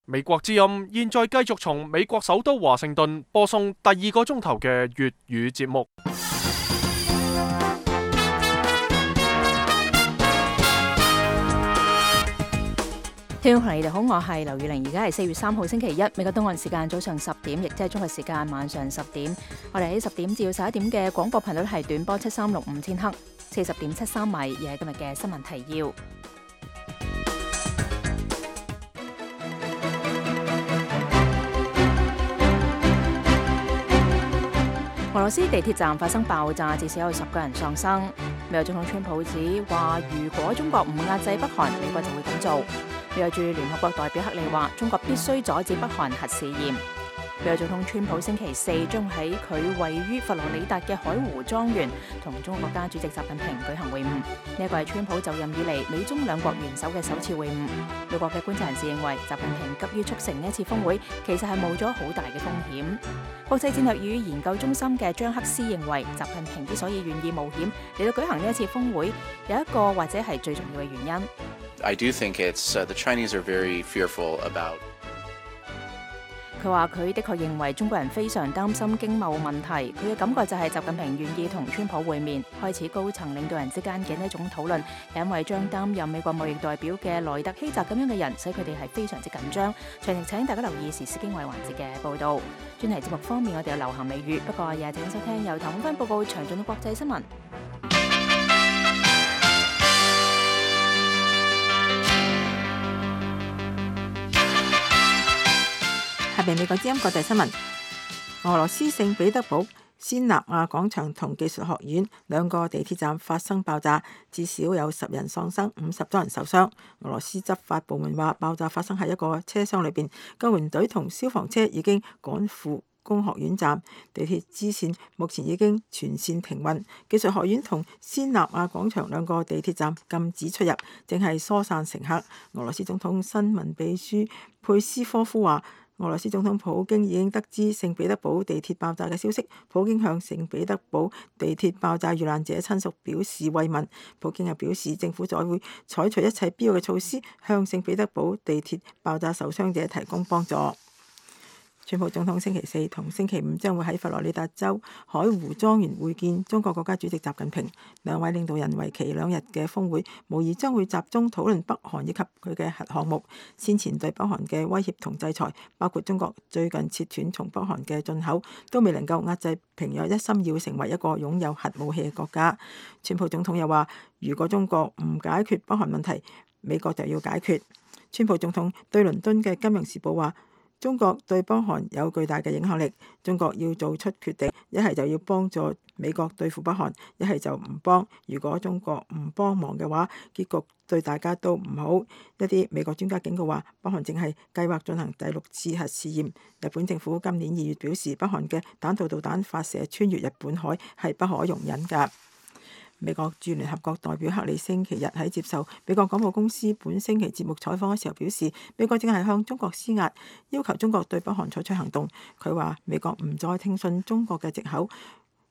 美國之音現在繼續從美國首都華盛頓播送第2個鐘頭嘅粵語節目。聽眾朋友你哋好，我係劉宇玲，而家係4月3號星期一，美國東岸時間早上10點，亦即係中國時間晚上10點。我哋喺10點至11點嘅廣播頻率係短波7365千赫，40.73米，而係今日嘅新聞提要。俄羅斯地鐵站發生爆炸，至少有10個人喪生。美國總統川普指話，如果中國唔壓制北韓，美國就會咁做。美國駐聯合國代表克里話，中國必須阻止北韓核試驗。美國總統川普星期4將喺佢位於佛羅里達嘅海湖莊園同中國國家主席習近平舉行會晤。呢一個係川普就任以嚟美中兩國元首嘅首次會晤。美國嘅觀察人士認為，習近平急於促成呢一次峰會，其實係冒咗好大嘅風險。國際戰略與研究中心嘅張克斯認為，習近平之所以願意冒險嚟到舉行呢一次峰會，有一個或者係最重要嘅原因。I do think it's the Chinese are very fearful about. 佢話佢的確認為中國人非常擔心經貿問題，佢嘅感覺就係習近平願意同川普會面，開始高層領導人之間嘅呢一種討論，因為將擔任美國貿易代表嘅萊特希澤咁樣嘅人，使佢哋係非常之緊張。詳情請大家留意時事經緯環節嘅報導。專題節目方面，我哋有流行美語，不過也請收聽由譚永芬報告詳盡嘅國際新聞。下邊美國之音國際新聞：俄羅斯聖彼得堡先納亞廣場同技術學院兩個地鐵站發生爆炸，至少有10人喪生，50多人受傷。俄羅斯執法部門話，爆炸發生喺一個車廂裏邊，救援隊同消防車已經趕赴工學院站，地鐵支線目前已經全線停運。技術學院同先納亞廣場兩個地鐵站禁止出入，正係疏散乘客。俄羅斯總統新聞秘書佩斯科夫話，俄羅斯總統普京已經得知聖彼得堡地鐵爆炸嘅消息，普京向聖彼得堡地鐵爆炸遇難者親屬表示慰問。普京又表示，政府再會採取一切必要嘅措施，向聖彼得堡地鐵爆炸受傷者提供幫助。川普總統星期4同星期5將會喺佛羅里達州海湖莊園會見中國國家主席習近平，兩位領導人為期2日嘅峰會，無疑將會集中討論北韓以及佢嘅核項目。先前對北韓嘅威脅同制裁，包括中國最近切斷從北韓嘅進口，都未能夠壓制平壤一心要成為一個擁有核武器嘅國家。川普總統又話，如果中國唔解決北韓問題，美國就要解決。川普總統對倫敦嘅《金融時報》話，中國對北韓有巨大嘅影響力，中國要做出決定，一係就要幫助美國對付北韓，一係就唔幫。如果中國唔幫忙嘅話，結局對大家都唔好。一啲美國專家警告話，北韓正係計劃進行第6次核試驗。日本政府今年2月表示，北韓嘅彈道導彈發射穿越日本海係不可容忍㗎。美國駐聯合國代表克里星期日喺接受美國廣播公司本星期節目採訪嘅時候表示，美國正係向中國施壓，要求中國對北韓採取行動。佢話美國唔再聽信中國嘅藉口，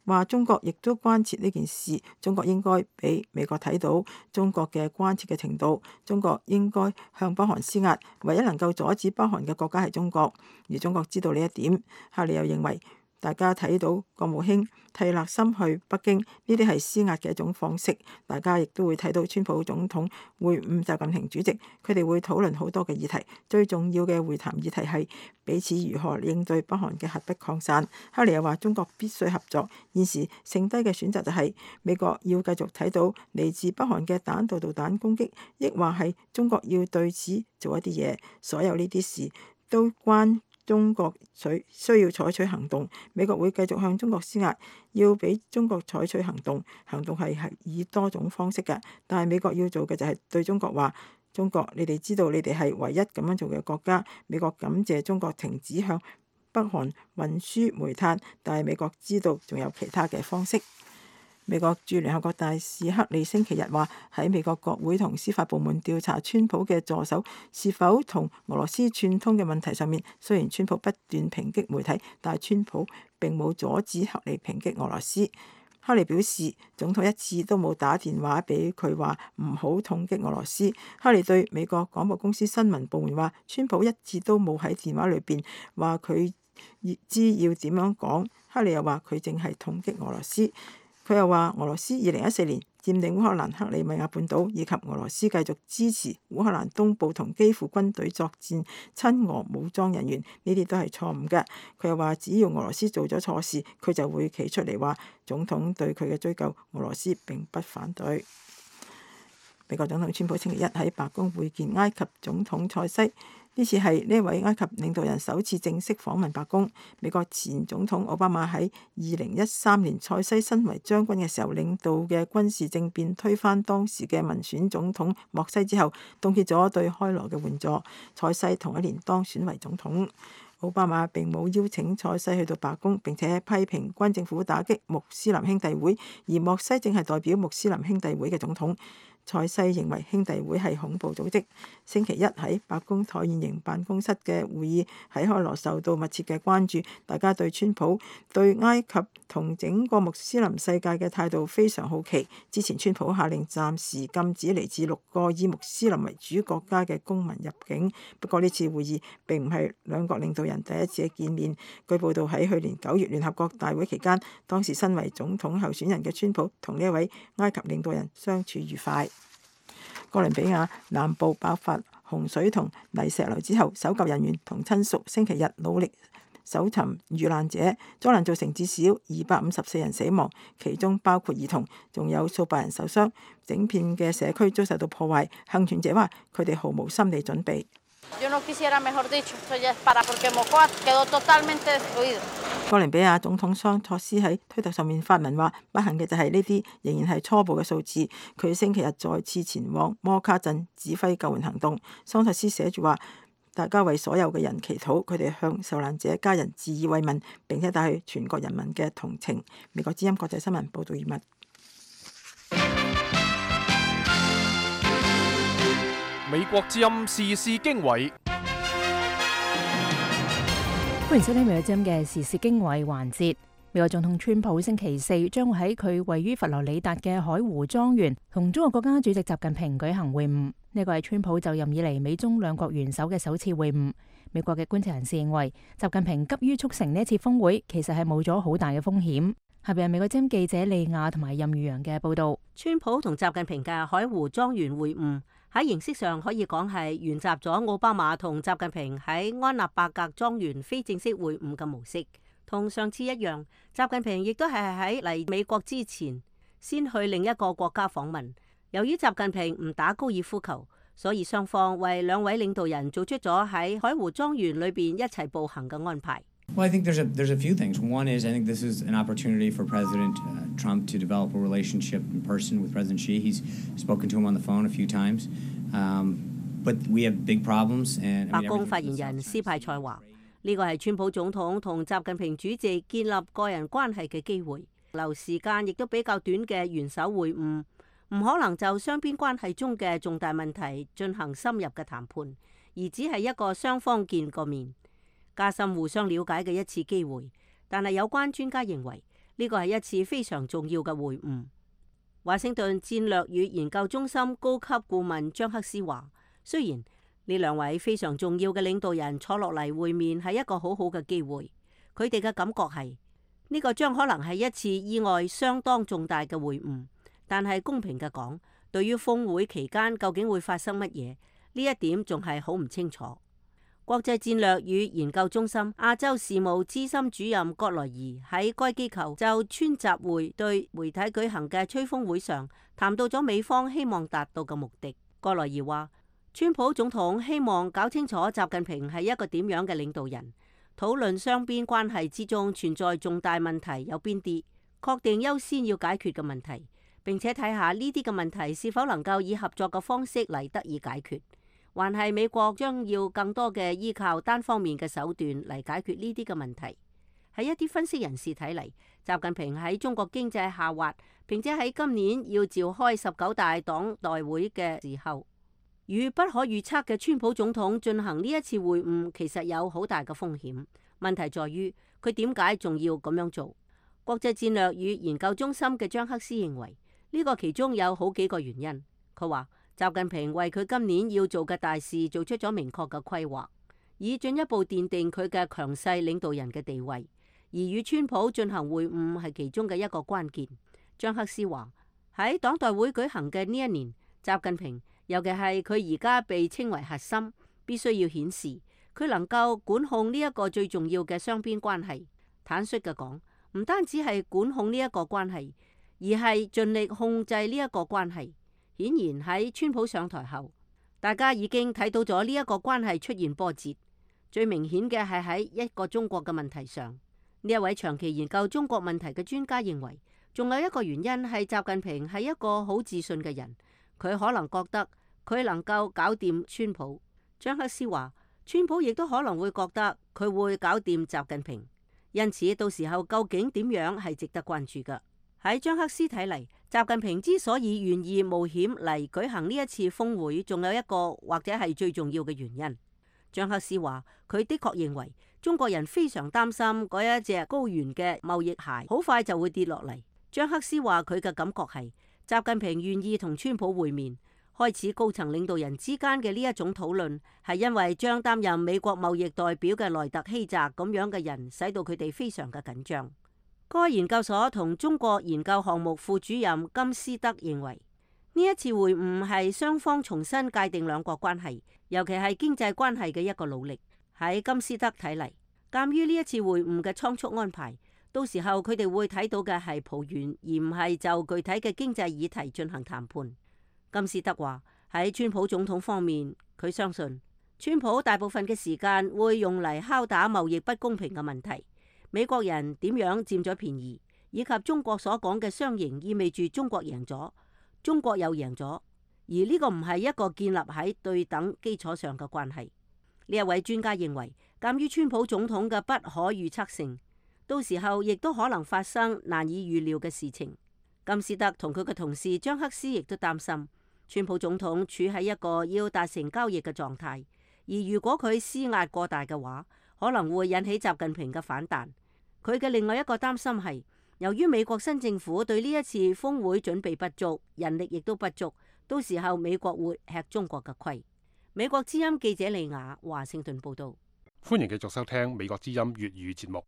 話中國亦都關切呢件事，中國應該俾美國睇到中國嘅關切嘅程度，中國應該向北韓施壓，唯一能夠阻止北韓嘅國家係中國，而中國知道呢一點。克里又認為，大家睇到國務卿蒂勒森去北京，呢啲係施壓嘅一種方式。大家亦都會睇到川普總統會晤習近平主席，佢哋會討論好多嘅議題。最重要嘅會談議題係彼此如何應對北韓嘅核不擴散。克里又話，中國必須合作，現時剩低嘅選擇就係美國要繼續睇到嚟自北韓嘅彈道導彈攻擊，抑或係中國要對此做一啲嘢。所有呢啲事都關中國需要採取行動，美國會繼續向中國施壓，要俾中國採取行動。行動係以多種方式嘅，但係美國要做嘅就係對中國話：中國，你哋知道你哋係唯一咁樣做嘅國家。美國感謝中國停止向北韓運輸煤炭，但係美國知道仲有其他嘅方式。美國駐聯合國大使克里星期日話，喺美國國會同司法部門調查川普嘅助手是否同俄羅斯串通嘅問題上面，雖然川普不斷抨擊媒體，但係川普並冇阻止克里抨擊俄羅斯。哈利表示，總統一次都冇打電話俾佢話唔好痛擊俄羅斯。哈利對美國廣播公司新聞部門話，川普一次都冇喺電話裏邊話佢知要點樣講。哈利又話佢淨係痛擊俄羅斯。佢又話俄羅斯2014年佔領烏克蘭克里米亞半島，以及俄羅斯繼續支持烏克蘭東部同基輔軍隊作戰親俄武裝人員，呢啲都係錯誤嘅。佢又話只要俄羅斯做咗錯事，佢就會企出嚟話總統對佢嘅追究，俄羅斯並不反對。美國總統川普星期一喺白宮會見埃及總統塞西。呢次係呢位埃及領導人首次正式訪問白宮。美國前總統奧巴馬喺2013年塞西身為將軍嘅時候領導嘅軍事政變推翻當時嘅民選總統莫西之後，凍結咗對開羅嘅援助。塞西同一年當選為總統。奧巴馬並冇邀請塞西去到白宮，並且批評軍政府打擊穆斯林兄弟會，而莫西正係代表穆斯林兄弟會嘅總統。塞西認為兄弟會係恐怖組織。星期一喺白宮橢圓形辦公室嘅會議喺開羅受到密切嘅關注，大家對川普對埃及同整個穆斯林世界嘅態度非常好奇。之前川普下令暫時禁止嚟自6個以穆斯林為主國家嘅公民入境，不過呢次會議並唔係兩國領導人第一次嘅見面。據報道喺去年9月聯合國大會期間，當時身為總統候選人嘅川普同呢一位埃及領導人相處愉快。哥倫比亞南部爆發洪水同泥石流之後，搜救人員同親屬星期日努力搜尋遇難者。災難造成至少254人死亡，其中包括兒童，仲有數百人受傷。整片嘅社區遭受到破壞。幸存者話：佢哋毫無心理準備。哥倫比亞總統桑托斯喺推特上面發文話：不幸嘅就係呢啲仍然係初步嘅數字。佢星期日再次前往摩卡鎮指揮救援行動。桑托斯寫住話：大家為所有嘅人祈禱，佢哋向受難者家人致以慰問，並且帶去全國人民嘅同情。美國之音國際新聞報道完畢。美國之音時事經緯，歡迎收聽美國之音嘅時事經緯環節。美國總統川普星期四將會喺佢位於佛羅里達嘅海湖莊園同中國國家主席習近平舉行會晤。呢個係川普就任以嚟美中兩國元首嘅首次會晤。美國嘅觀察人士認為，習近平急於促成呢一次峰會，其實係冒咗好大嘅風險。下邊係美國之音記者利亞同埋任宇陽嘅報道。川普同習近平嘅海湖莊園會晤喺形式上可以講係沿襲咗奧巴馬同習近平喺安納伯格莊園非正式會晤嘅模式。同上次一樣，習近平亦都係喺嚟美國之前先去另一個國家訪問。由於習近平唔打高爾夫球，所以雙方為兩位領導人做出咗喺海湖莊園裏邊一齊步行嘅安排。Well, I think there's a few things. One is I think this is an opportunity for President Trump to develop a relationship in person with President Xi. He's spoken to him on the phone a few times, but we have big problems. And 白宮發言人斯派塞話：呢個係川普總統同習近平主席建立個人關係嘅機會，留時間亦都比較短嘅元首會晤，唔可能就雙邊關係中嘅重大問題進行深入嘅談判，而只係一個雙方見個面，加深互相了解嘅一次機會。但係有關專家認為呢個係一次非常重要嘅會晤。華盛頓戰略與研究中心高級顧問張克斯話：雖然呢兩位非常重要嘅領導人坐落嚟會面係一個好好嘅機會，佢哋嘅感覺係呢個將可能係一次意外相當重大嘅會晤。但係公平嘅講，對於峰會期間究竟會發生乜嘢，呢一點仲係好唔清楚。國際戰略與研究中心亞洲事務資深主任葛萊儀喺該機構就川習會對媒體舉行嘅吹風會上談到咗美方希望達到嘅目的。葛萊儀話：川普總統希望搞清楚習近平係一個點樣嘅領導人，討論雙邊關係之中存在重大問題有邊啲，確定優先要解決嘅問題，並且睇下呢啲嘅問題是否能夠以合作嘅方式嚟得以解決，還係美國將要更多嘅依靠單方面嘅手段嚟解決呢啲嘅問題。喺一啲分析人士睇嚟，習近平喺中國經濟下滑，並且喺今年要召開19大黨代會嘅時候，與不可預測嘅川普總統進行呢一次會晤，其實有好大嘅風險。問題在於佢點解仲要咁樣做？國際戰略與研究中心嘅張克斯認為，呢個其中有好幾個原因。佢話習近平為佢今年要做嘅大事做出咗明確嘅規劃，以進一步奠定佢嘅強勢領導人嘅地位。而與川普進行會晤係其中嘅一個關鍵。張克斯話喺黨代會舉行嘅呢一年，習近平尤其係佢而家被稱為核心，必須要顯示佢能夠管控呢一個最重要嘅雙邊關係。坦率嘅講，唔單止係管控呢一個關係，而係盡力控制呢一個關係。顯然喺川普上台後，大家已經睇到咗呢一個關係出現波折。最明顯嘅係喺一個中國嘅問題上。呢一位長期研究中國問題嘅專家認為，仲有一個原因係習近平係一個好自信嘅人，佢可能覺得佢能夠搞掂川普。張克斯話，川普亦都可能會覺得佢會搞掂習近平，因此到時候究竟點樣係值得關注嘅。喺張克斯睇嚟，習近平之所以願意冒險嚟舉行呢一次峰會，仲有一個或者係最重要嘅原因。張克斯話，佢的確認為中國人非常擔心嗰一隻高原嘅貿易鞋好快就會跌落嚟。張克斯話佢嘅感覺係習近平願意同川普會面，開始高層領導人之間嘅呢一種討論，係因為將擔任美國貿易代表嘅萊特希澤咁樣嘅人，使到佢哋非常嘅緊張。該研究所同中國研究項目副主任金斯德認為，呢一次會晤係雙方重新界定兩國關係，尤其係經濟關係嘅一個努力。喺金斯德睇嚟，鑑於呢一次會晤嘅倉促安排，到時候佢哋會睇到嘅係抱怨，而唔係就具體嘅經濟議題進行談判。金斯德話喺川普總統方面，佢相信川普大部分嘅時間會用嚟敲打貿易不公平嘅問題，美國人點樣佔咗便宜，以及中國所講嘅雙贏意味住中國贏咗，中國又贏咗，而呢個唔係一個建立喺對等基礎上嘅關係。呢一位專家認為，鑑於川普總統嘅不可預測性，到時候亦都可能發生難以預料嘅事情。金斯德同佢嘅同事張克斯亦都擔心，川普總統處喺一個要達成交易嘅狀態，而如果佢施壓過大嘅話，可能會引起習近平嘅反彈。佢嘅另外一個擔心係，由於美國新政府對呢一次峰會準備不足，人力亦都不足，到時候美國會吃中國嘅虧。美國之音記者利亞華盛頓報道。歡迎繼續收聽美國之音粵語節目。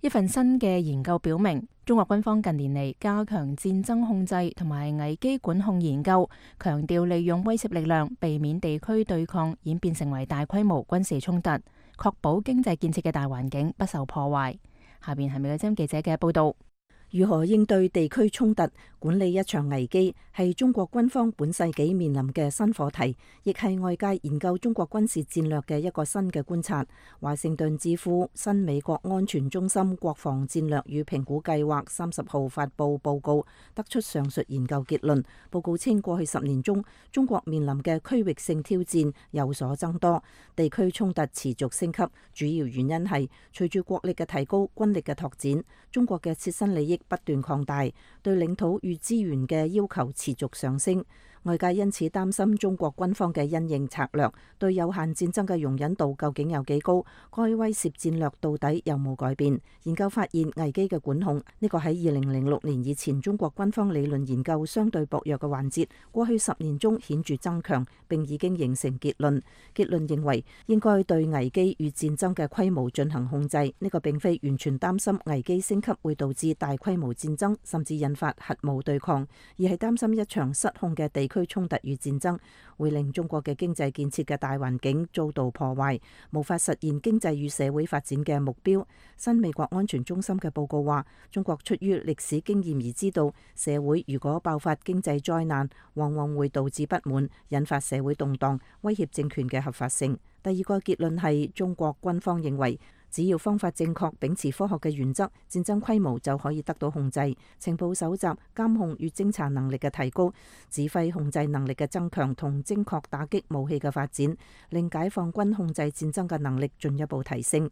一份新嘅研究表明，中國軍方近年嚟加強戰爭控制同埋危機管控研究，強調利用威懾力量避免地區對抗演變成為大規模軍事衝突，確保經濟建設嘅大環境不受破壞。下邊係美國之音記者嘅報道。如何應對地區衝突、管理一場危機，係中國軍方本世紀面臨嘅新課題，亦係外界研究中國軍事戰略嘅一個新嘅觀察。華盛頓智庫新美國安全中心國防戰略與評估計劃30號發布報告，得出上述研究結論。報告稱，過去10年中，中國面臨嘅區域性挑戰有所增多，地區衝突持續升級。主要原因係隨住國力嘅提高、軍力嘅拓展，中國嘅切身利益不斷擴大，對領土與資源嘅要求持續上升。外界因此擔心中國軍方嘅因應策略對有限戰爭嘅容忍度究竟有幾高，該威懾戰略到底有冇改變。研究發現，危機嘅管控呢個喺2006年以前中國軍方理論研究相對薄弱嘅環節，過去10年中顯著增強，並已經形成結論。結論認為應該對危機與戰爭嘅規模進行控制，呢個並非完全擔心危機升級會導致大規模戰爭，甚至引發核武對抗，而係擔心一場失控嘅地區衝突與戰爭會令中國嘅經濟建設嘅大環境遭到破壞，無法實現經濟與社會發展嘅目標。新美國安全中心嘅報告話，中國出於歷史經驗而知道，社會如果爆發經濟災難，往往會導致不滿，引發社會動盪，威脅政權嘅合法性。第二個結論係，中國軍方認為，只要方法正確，秉持科學嘅原則，戰爭規模就可以得到控制。情報搜集、監控與偵查能力嘅提高，指揮控制能力嘅增強同精確打擊武器嘅發展，令解放軍控制戰爭嘅能力進一步提升。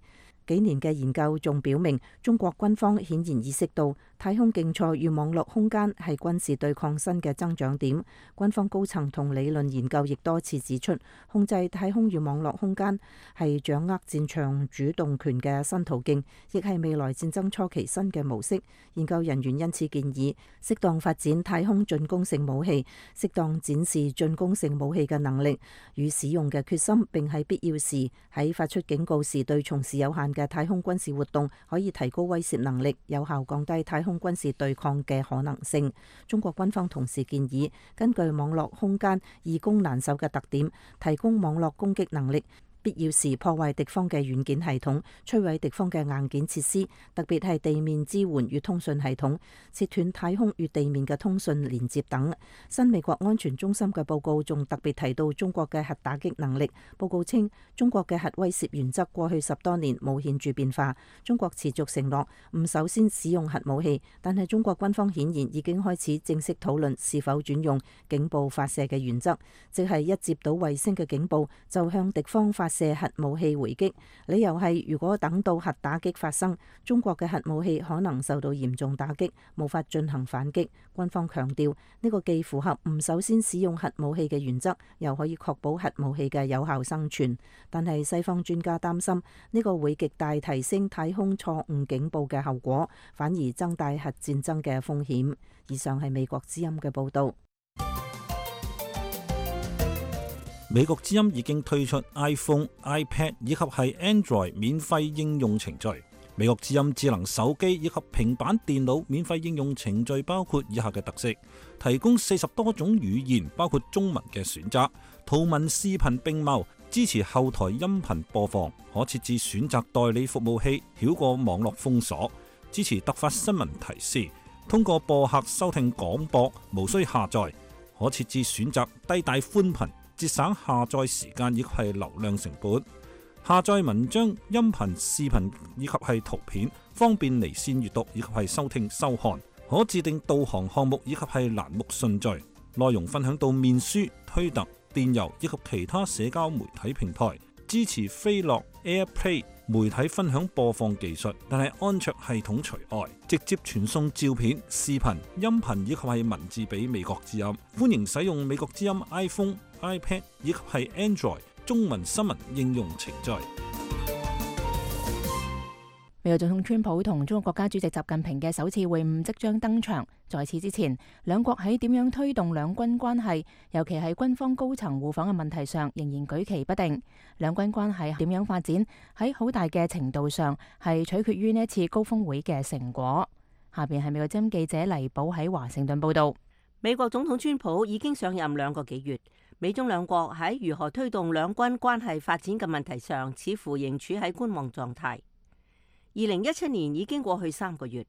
幾年嘅研究仲表明，中國軍方顯然意識到太空競賽與網絡空間係軍事對抗新嘅增長點。軍方高層同理論研究亦多次指出，控制太空與網絡空間係掌握戰場主動權嘅新途徑，亦係未來戰爭初期新嘅模式。研究人員因此建議，適當發展太空進攻性武器，適當展示進攻性武器嘅能力與使用嘅決心，並喺必要時喺發出警告時對從事有限嘅太空軍事活動可以提高威懾能力，有效降低太空軍事對抗嘅可能性。中國軍方同時建議，根據網絡空間易攻難守嘅特點，提供網絡攻擊能力，必要時破壞敵方嘅軟件系統，摧毀敵方嘅硬件設施，特別係地面支援與通訊系統，切斷太空與地面嘅通訊連接等。新美國安全中心嘅報告仲特別提到中國嘅核打擊能力。報告稱，中國嘅核威懾原則過去10多年冇顯著變化。中國持續承諾唔首先使用核武器，但係中國軍方顯然已經開始正式討論是否轉用警報發射嘅原則，即係一接到衛星嘅警報就向敵方發射核武器回擊。理由係如果等到核打擊發生，中國嘅核武器可能受到嚴重打擊，無法進行反擊。軍方強調呢個既符合唔首先使用核武器嘅原則，又可以確保核武器嘅有效生存。但係西方專家擔心呢個會極大提升太空錯誤警報嘅後果，反而增大核戰爭嘅風險。以上係美國之音嘅報道。美國之音已經推出 iPhone、iPad 以及係 Android 免費應用程序。美國之音智能手機以及平板電腦免費應用程序包括以下嘅特色：提供40多種語言，包括中文嘅選擇，圖文視頻並茂，支持後台音頻播放，可設置選擇代理服務器，繞過網絡封鎖，支持突發新聞提示，通過播客收聽廣播，無需下載，可設置選擇低帶寬頻，節省下載時間以及係流量成本。下載文章、音頻、視頻以及係圖片，方便離線閱讀以及係收聽收看。可自定導航項目以及係欄目順序。內容分享到面書、推特、電郵以及其他社交媒體平台。支持飛樂、AirPlay 媒體分享播放技術，但係安卓系統除外。直接傳送照片、視頻、音頻以及係文字俾美國之音。歡迎使用美國之音 iPhone、iPad 以及係 Android 中文新聞應用程序。美國總統川普同中國國家主席習近平嘅首次會晤即將登場。在此之前，兩國喺點樣推動兩軍關係，尤其係軍方高層互訪嘅問題上，仍然舉棋不定。兩軍關係點樣發展，喺好大嘅程度上係取決於呢一次高峰會嘅成果。下邊係美國之音記者黎寶喺華盛頓報道。美國總統川普已經上任2個幾月，美中兩國喺如何推動兩軍關係發展嘅問題上，似乎仍處喺觀望狀態。2017年已經過去3個月，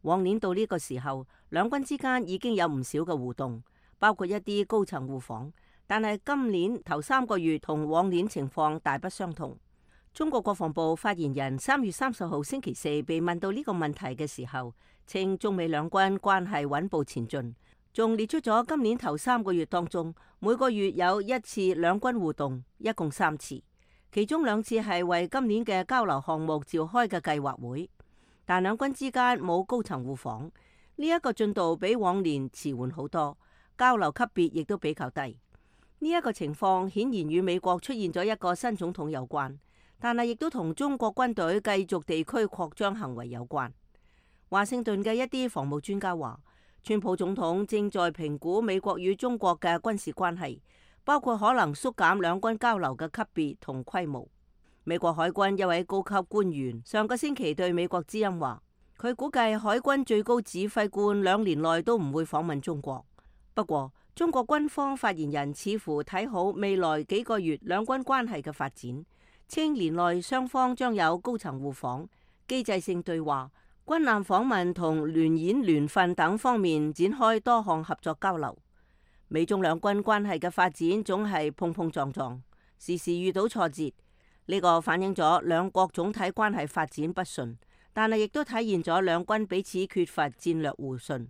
往年到呢個時候，兩軍之間已經有唔少嘅互動，包括一啲高層互訪。但係今年頭3個月同往年情況大不相同。中國國防部發言人3月30號星期四被問到呢個問題嘅時候，稱中美兩軍關係穩步前進，仲列出咗今年頭3個月當中每個月有1次兩軍互動，一共3次。其中2次係為今年嘅交流項目召開嘅計劃會，但兩軍之間冇高層互訪，呢一個進度比往年遲緩好多，交流級別亦都比較低。呢一個情況顯然與美國出現咗一個新總統有關，但係亦都同中國軍隊繼續地區擴張行為有關。華盛頓嘅一啲防務專家話，川普總統正在評估美國與中國嘅軍事關係，包括可能縮減兩軍交流嘅級別同規模。美國海軍一位高級官員上個星期對美國之音話，佢估計海軍最高指揮官2年內都唔會訪問中國。不過，中國軍方發言人似乎睇好未來幾個月兩軍關係嘅發展，稱年內雙方將有高層互訪、機制性對話、軍艦訪問同聯演聯訓等方面展開多項合作交流。美中兩軍關係嘅發展總係碰碰撞撞，時時遇到挫折。呢個反映咗兩國總體關係發展不順，但係亦都體現咗兩軍彼此缺乏戰略互信。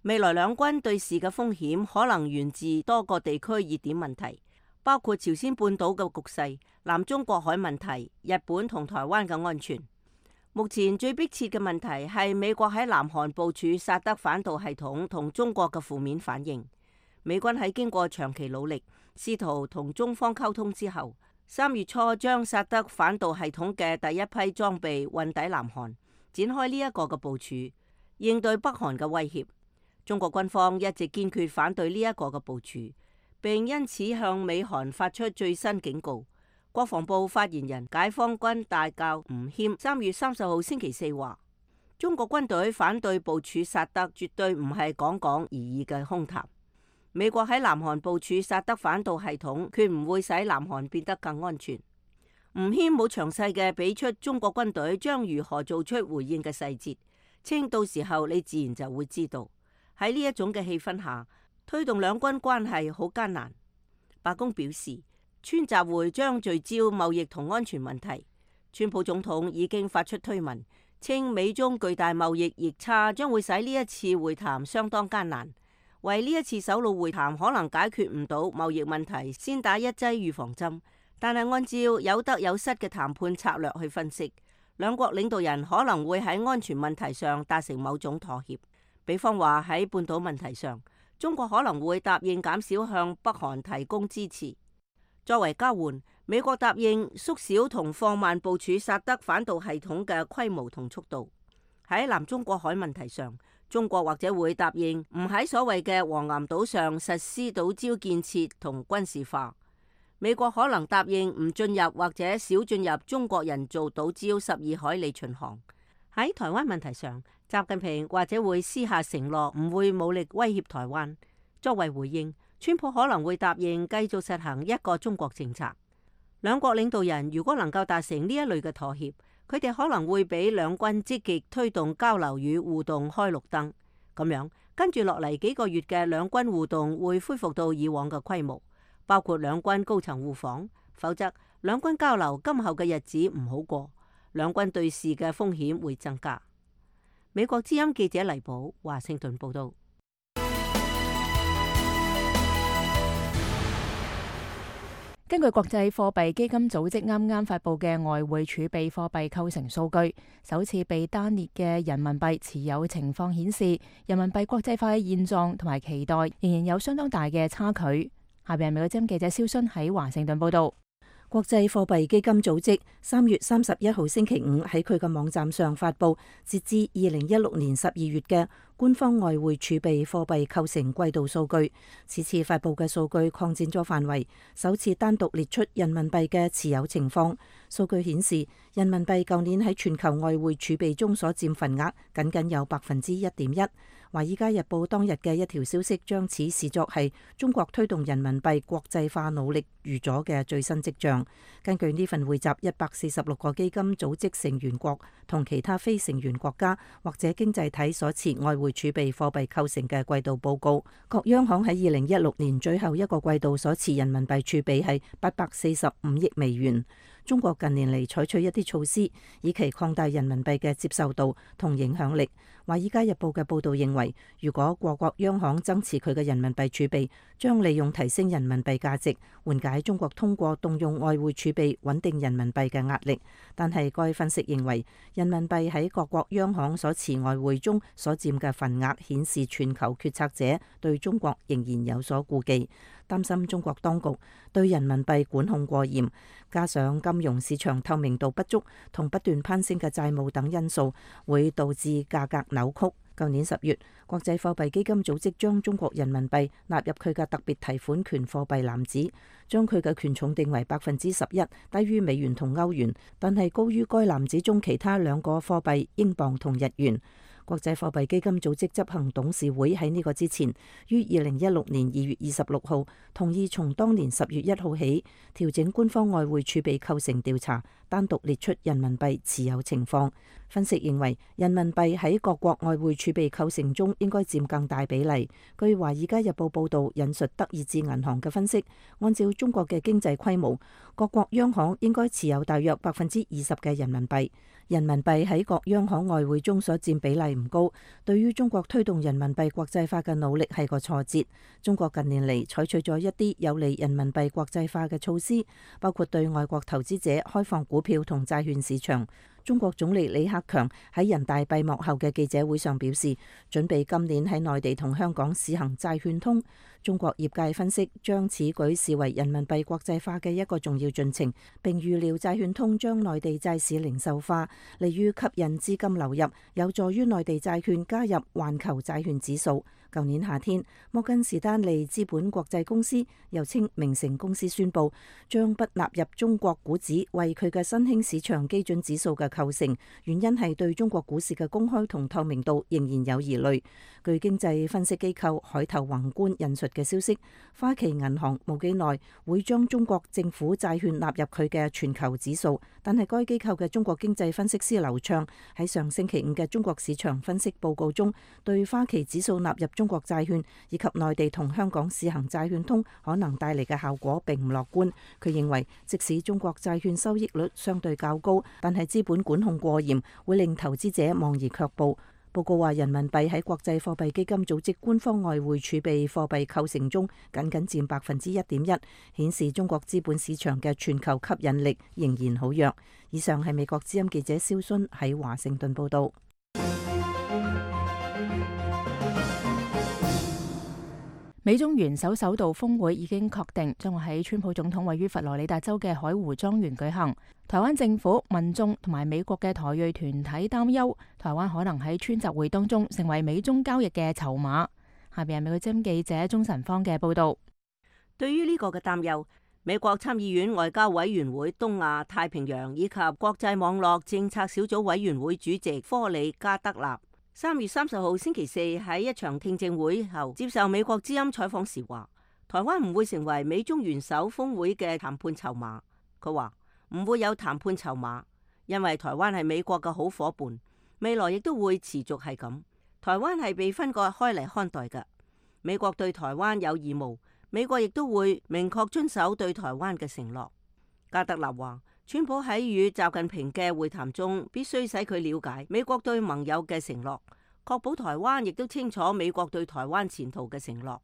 未來兩軍對峙嘅風險可能源自多個地區熱點問題，包括朝鮮半島嘅局勢、南中國海問題、日本同台灣嘅安全。目前最迫切嘅問題係美國喺南韓部署薩德反導系統同中國嘅負面反應。美軍喺經過長期努力，試圖同中方溝通之後，3月初將薩德反導系統嘅第一批裝備運抵南韓，展開呢一個嘅部署，應對北韓嘅威脅。中國軍方一直堅決反對呢一個嘅部署，並因此向美韓發出最新警告。國防部發言人解放軍大校吳謙3月30號星期四話：中國軍隊反對部署薩德，絕對唔係講講而已嘅空談。美國喺南韓部署薩德反導系統，決唔會使南韓變得更安全。吳謙冇詳細嘅俾出中國軍隊將如何做出回應嘅細節，稱到時候你自然就會知道。喺呢一種嘅氣氛下，推動兩軍關係好艱難。白宮表示，川習會將聚焦貿易同安全問題。川普總統已經發出推文，稱美中巨大貿易逆差將會使呢一次會談相當艱難。為呢一次首腦會談可能解決唔到貿易問題，先打一劑預防針。但係按照有得有失嘅談判策略去分析，兩國領導人可能會喺安全問題上達成某種妥協。比方話喺半島問題上，中國可能會答應減少向北韓提供支持。作為交換，美國答應縮小同放慢部署薩德反導系統嘅規模同速度。喺南中國海問題上，中國或者會答應唔喺所謂嘅黃岩島上實施島礁建設同軍事化。美國可能答應唔進入或者少進入中國人造島礁12海里巡航。喺台灣問題上，習近平或者會私下承諾唔會武力威脅台灣。作為回應，川普可能會答應繼續實行一個中國政策。兩國領導人如果能夠達成呢一類嘅妥協，佢哋可能會俾兩軍積極推動交流與互動開綠燈。咁樣跟住落嚟幾個月嘅兩軍互動會恢復到以往嘅規模，包括兩軍高層互訪。否則兩軍交流今後嘅日子唔好過，兩軍對峙嘅風險會增加。美國之音記者黎寶華盛頓報道。根據國際貨幣基金組織啱啱發布嘅外匯儲備貨幣構成數據，首次被單列嘅人民幣持有情況顯示，人民幣國際化嘅現狀同埋期待仍然有相當大嘅差距。下邊係美國之音記者蕭순喺華盛頓報道。國際貨幣基金組織3月31號星期五喺佢嘅網站上發布，截至2016年12月嘅官方外匯儲備貨幣構成季度數據。此次發布嘅數據擴展咗範圍，首次單獨列出人民幣嘅持有情況。數據顯示，人民幣舊年喺全球外匯儲備中所佔份額僅僅有1.1%。華爾街日報當日嘅一條消息將此視作係中國推動人民幣國際化努力預咗嘅最新跡象。根據呢份匯集146個基金組織成員國同其他非成員國家或者經濟體所持外匯儲備貨幣構成嘅季度報告，各央行喺2016年最後一個季度所持人民幣儲備係845億美元。中國近年嚟採取一啲措施，以期擴大人民幣嘅接受度同影響力。華爾街日報嘅報導認為，如果各國央行增持佢嘅人民幣儲備，將利用提升人民幣價值，緩解中國通過動用外匯儲備穩定人民幣嘅壓力。但係該分析認為，人民幣喺各國央行所持外匯中所佔嘅份額顯示全球決策者對中國仍然有所顧忌，擔心中國當局對人民幣管控過嚴，加上金融市場透明度不足同不斷攀升嘅債務等因素，會導致價格扭曲。舊年10月，國際貨幣基金組織將中國人民幣納入佢嘅特別提款權貨幣籃子，將佢嘅權重定為11%，低於美元同歐元，但係高於該籃子中其他兩個貨幣英鎊同日元。國際貨幣基金組織執行董事會喺呢個之前，於2016年2月26號同意從當年10月1號起調整官方外匯儲備構成調查，單獨列出人民幣持有情況。分析認為，人民幣喺各國外匯儲備構成中應該佔更大比例。據《華爾街日報》報導，引述德意志銀行嘅分析，按照中國嘅經濟規模，各國央行應該持有大約20%嘅人民幣。人民幣喺各央行外匯中所佔比例唔高，對於中國推動人民幣國際化嘅努力係個挫折。中國近年嚟採取咗一啲有利人民幣國際化嘅措施，包括對外國投資者開放股票同債券市場。中國總理李克強喺人大閉幕後嘅記者會上表示，準備今年喺內地同香港試行債券通。中國業界分析將此舉視為人民幣國際化嘅一個重要進程，並預料債券通將內地債市零售化，利於吸引資金流入，有助於內地債券加入環球債券指數。舊年夏天，摩根士丹利資本國際公司又稱明晟公司宣布將不納入中國股指為佢嘅新興市場基準指數嘅構成，原因係對中國股市嘅公開同透明度仍然有疑慮。據經濟分析機構海頭宏觀引述嘅消息，花旗銀行冇幾耐會將中國政府債券納入佢嘅全球指數，但係該機構嘅中國經濟分析師劉暢喺上星期五嘅中國市場分析報告中，對花旗指數納入中國債券以及內地同香港試行債券通可能帶嚟嘅效果並唔樂觀。佢認為，即使中國債券收益率相對較高，但係資本管控過嚴，會令投資者望而卻步。報告話，人民幣喺國際貨幣基金組織官方外匯儲備貨幣構成中僅佔1.1%，顯示中國資本市場嘅全球吸引力仍然好弱。以上係美國之音記者蕭薰喺華盛頓報道。美中元首首度峰會已經確定，將會喺川普總統位於佛羅里達州嘅海湖莊園舉行。台灣政府、民眾同埋美國嘅台裔團體擔憂，台灣可能喺川習會當中成為美中交易嘅籌碼。下邊係美國之音記者鍾晨芳嘅報道。對於呢個嘅擔憂，美國參議院外交委員會東亞太平洋以及國際網絡政策小組委員會主席科里加德納3月30號星期四喺一場聽證會後接受美國之音採訪時話，台灣唔會成為美中元首峰會嘅談判籌碼。佢話唔會有談判籌碼，因為台灣係美國嘅好伙伴，未來亦都會持續係咁。台灣係被分割開嚟看待嘅，美國對台灣有義務，美國亦都會明確遵守對台灣嘅承諾。加德納話，川普喺與習近平嘅會談中，必須使佢了解美國對盟友嘅承諾，確保台灣亦都清楚美國對台灣前途嘅承諾。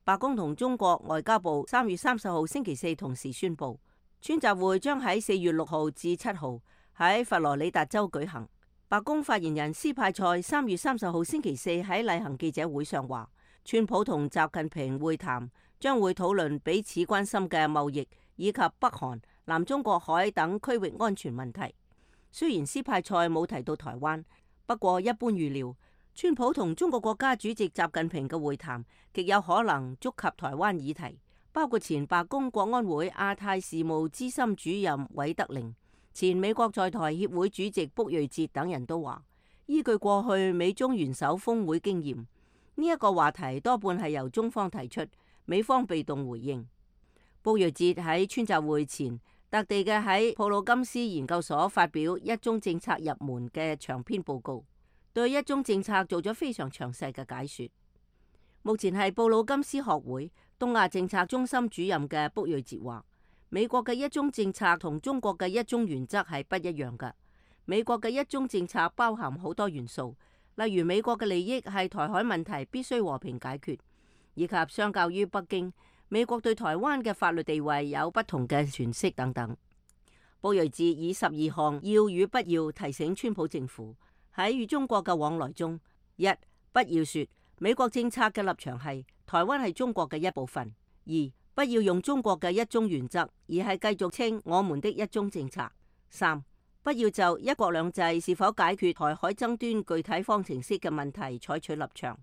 白宮同中國外交部3月30號星期四同時宣布，川習會將喺4月6號至7號喺佛羅里達州舉行。白宮發言人斯派塞3月30號星期四喺例行記者會上話，川普同習近平會談將會討論彼此關心嘅貿易以及北韓、南中國海等區域安全問題。雖然斯派塞冇提到台灣，不過一般預料，川普同中國國家主席習近平嘅會談極有可能觸及台灣議題，包括前白宮國安會亞太事務資深主任韋德寧、前美國在台協會主席卜瑞哲等人都話，依據過去美中元首峰會經驗，呢一個話題多半係由中方提出，美方被動回應。卜瑞哲喺川習會前特地嘅喺普魯金斯研究所發表一中政策入門嘅長篇報告，對一中政策做咗非常詳細嘅解說。目前係布魯金斯學會東亞政策中心主任嘅卜瑞哲話，美國嘅一中政策同中國嘅一中原則係不一樣嘅。美國嘅一中政策包含好多元素，例如美國嘅利益係台海問題必須和平解決，以及相較於北京，美國對台灣嘅法律地位有不同嘅詮釋等等。卜瑞哲以12項要與不要提醒川普政府喺與中國嘅往來中：一、不要說美國政策嘅立場係台灣係中國嘅一部分；二、不要用中國嘅一中原則，而係繼續稱我們的一中政策；三、不要就一國兩制是否解決台海爭端具體方程式嘅問題採取立場。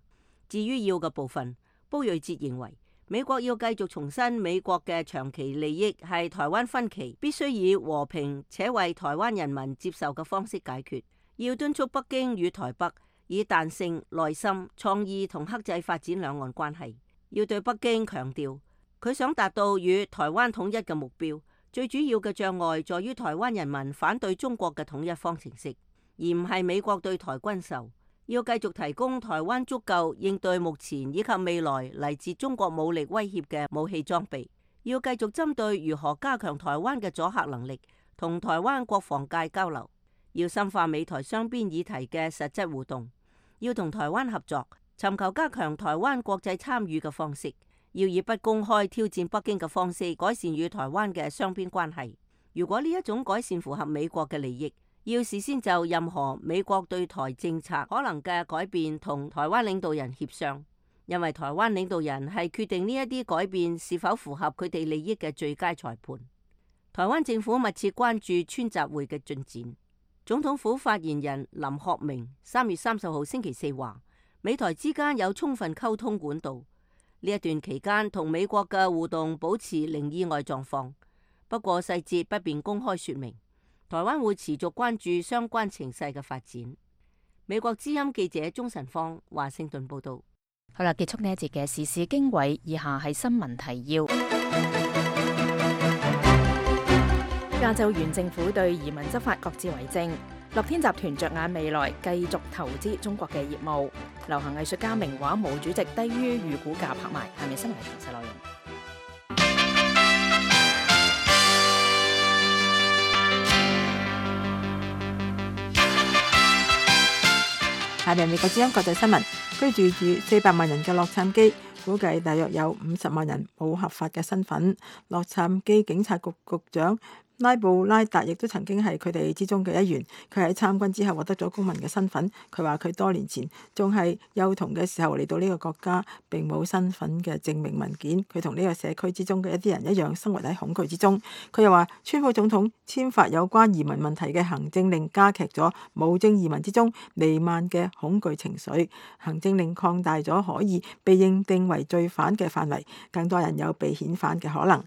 至於要嘅部分，卜瑞哲認為，美國要繼續重申美國嘅長期利益係台灣分歧必須以和平且為台灣人民接受嘅方式解決，要敦促北京與台北以彈性、耐心、創意同克制發展兩岸關係，要對北京強調佢想達到與台灣統一嘅目標，最主要嘅障礙在於台灣人民反對中國嘅統一方程式，而唔係美國對台軍售。要繼續提供台灣足夠應對目前以及未來嚟自中國武力威脅嘅武器裝備，要繼續針對如何加強台灣嘅阻嚇能力，同台灣國防界交流，要深化美台雙邊議題嘅實質互動，要同台灣合作，尋求加強台灣國際參與嘅方式，要以不公開挑戰北京嘅方式改善與台灣嘅雙邊關係。如果呢一種改善符合美國嘅利益，要事先就任何美國對台政策可能嘅改變同台灣領導人協商，因為台灣領導人係決定呢一啲改變是否符合佢哋利益嘅最佳裁判。台灣政府密切關注川習會嘅進展。總統府發言人林學明3月30號星期四話，美台之間有充分溝通管道，呢一段期間同美國嘅互動保持零意外狀況，不過細節不便公開說明。台灣會持續關注相關情勢嘅發展。美國之音記者鍾晨芳華盛頓報道。好啦，結束呢一節嘅時事經緯，以下係新聞提要。加州縣政府對移民執法各自為政。樂天集團着眼未來，繼續投資中國嘅業務。流行藝術家名畫毛主席低於預估價拍賣。下面新聞詳細內容。下面美國之音國際新聞，居住住400萬人嘅洛杉磯，估計大約有50萬人冇合法嘅身份。洛杉磯警察局局長拉布拉達亦都曾經係佢哋之中嘅一員，佢喺參軍之後獲得咗公民嘅身份。佢話佢多年前仲係幼童嘅時候嚟到呢個國家，並冇身份嘅證明文件。佢同呢個社區之中嘅一啲人一樣，生活喺恐懼之中。佢又話，川普總統簽發有關移民問題嘅行政令，加劇咗無證移民之中彌漫嘅恐懼情緒。行政令擴大咗可以被認定為罪犯嘅範圍，更多人有被遣返嘅可能。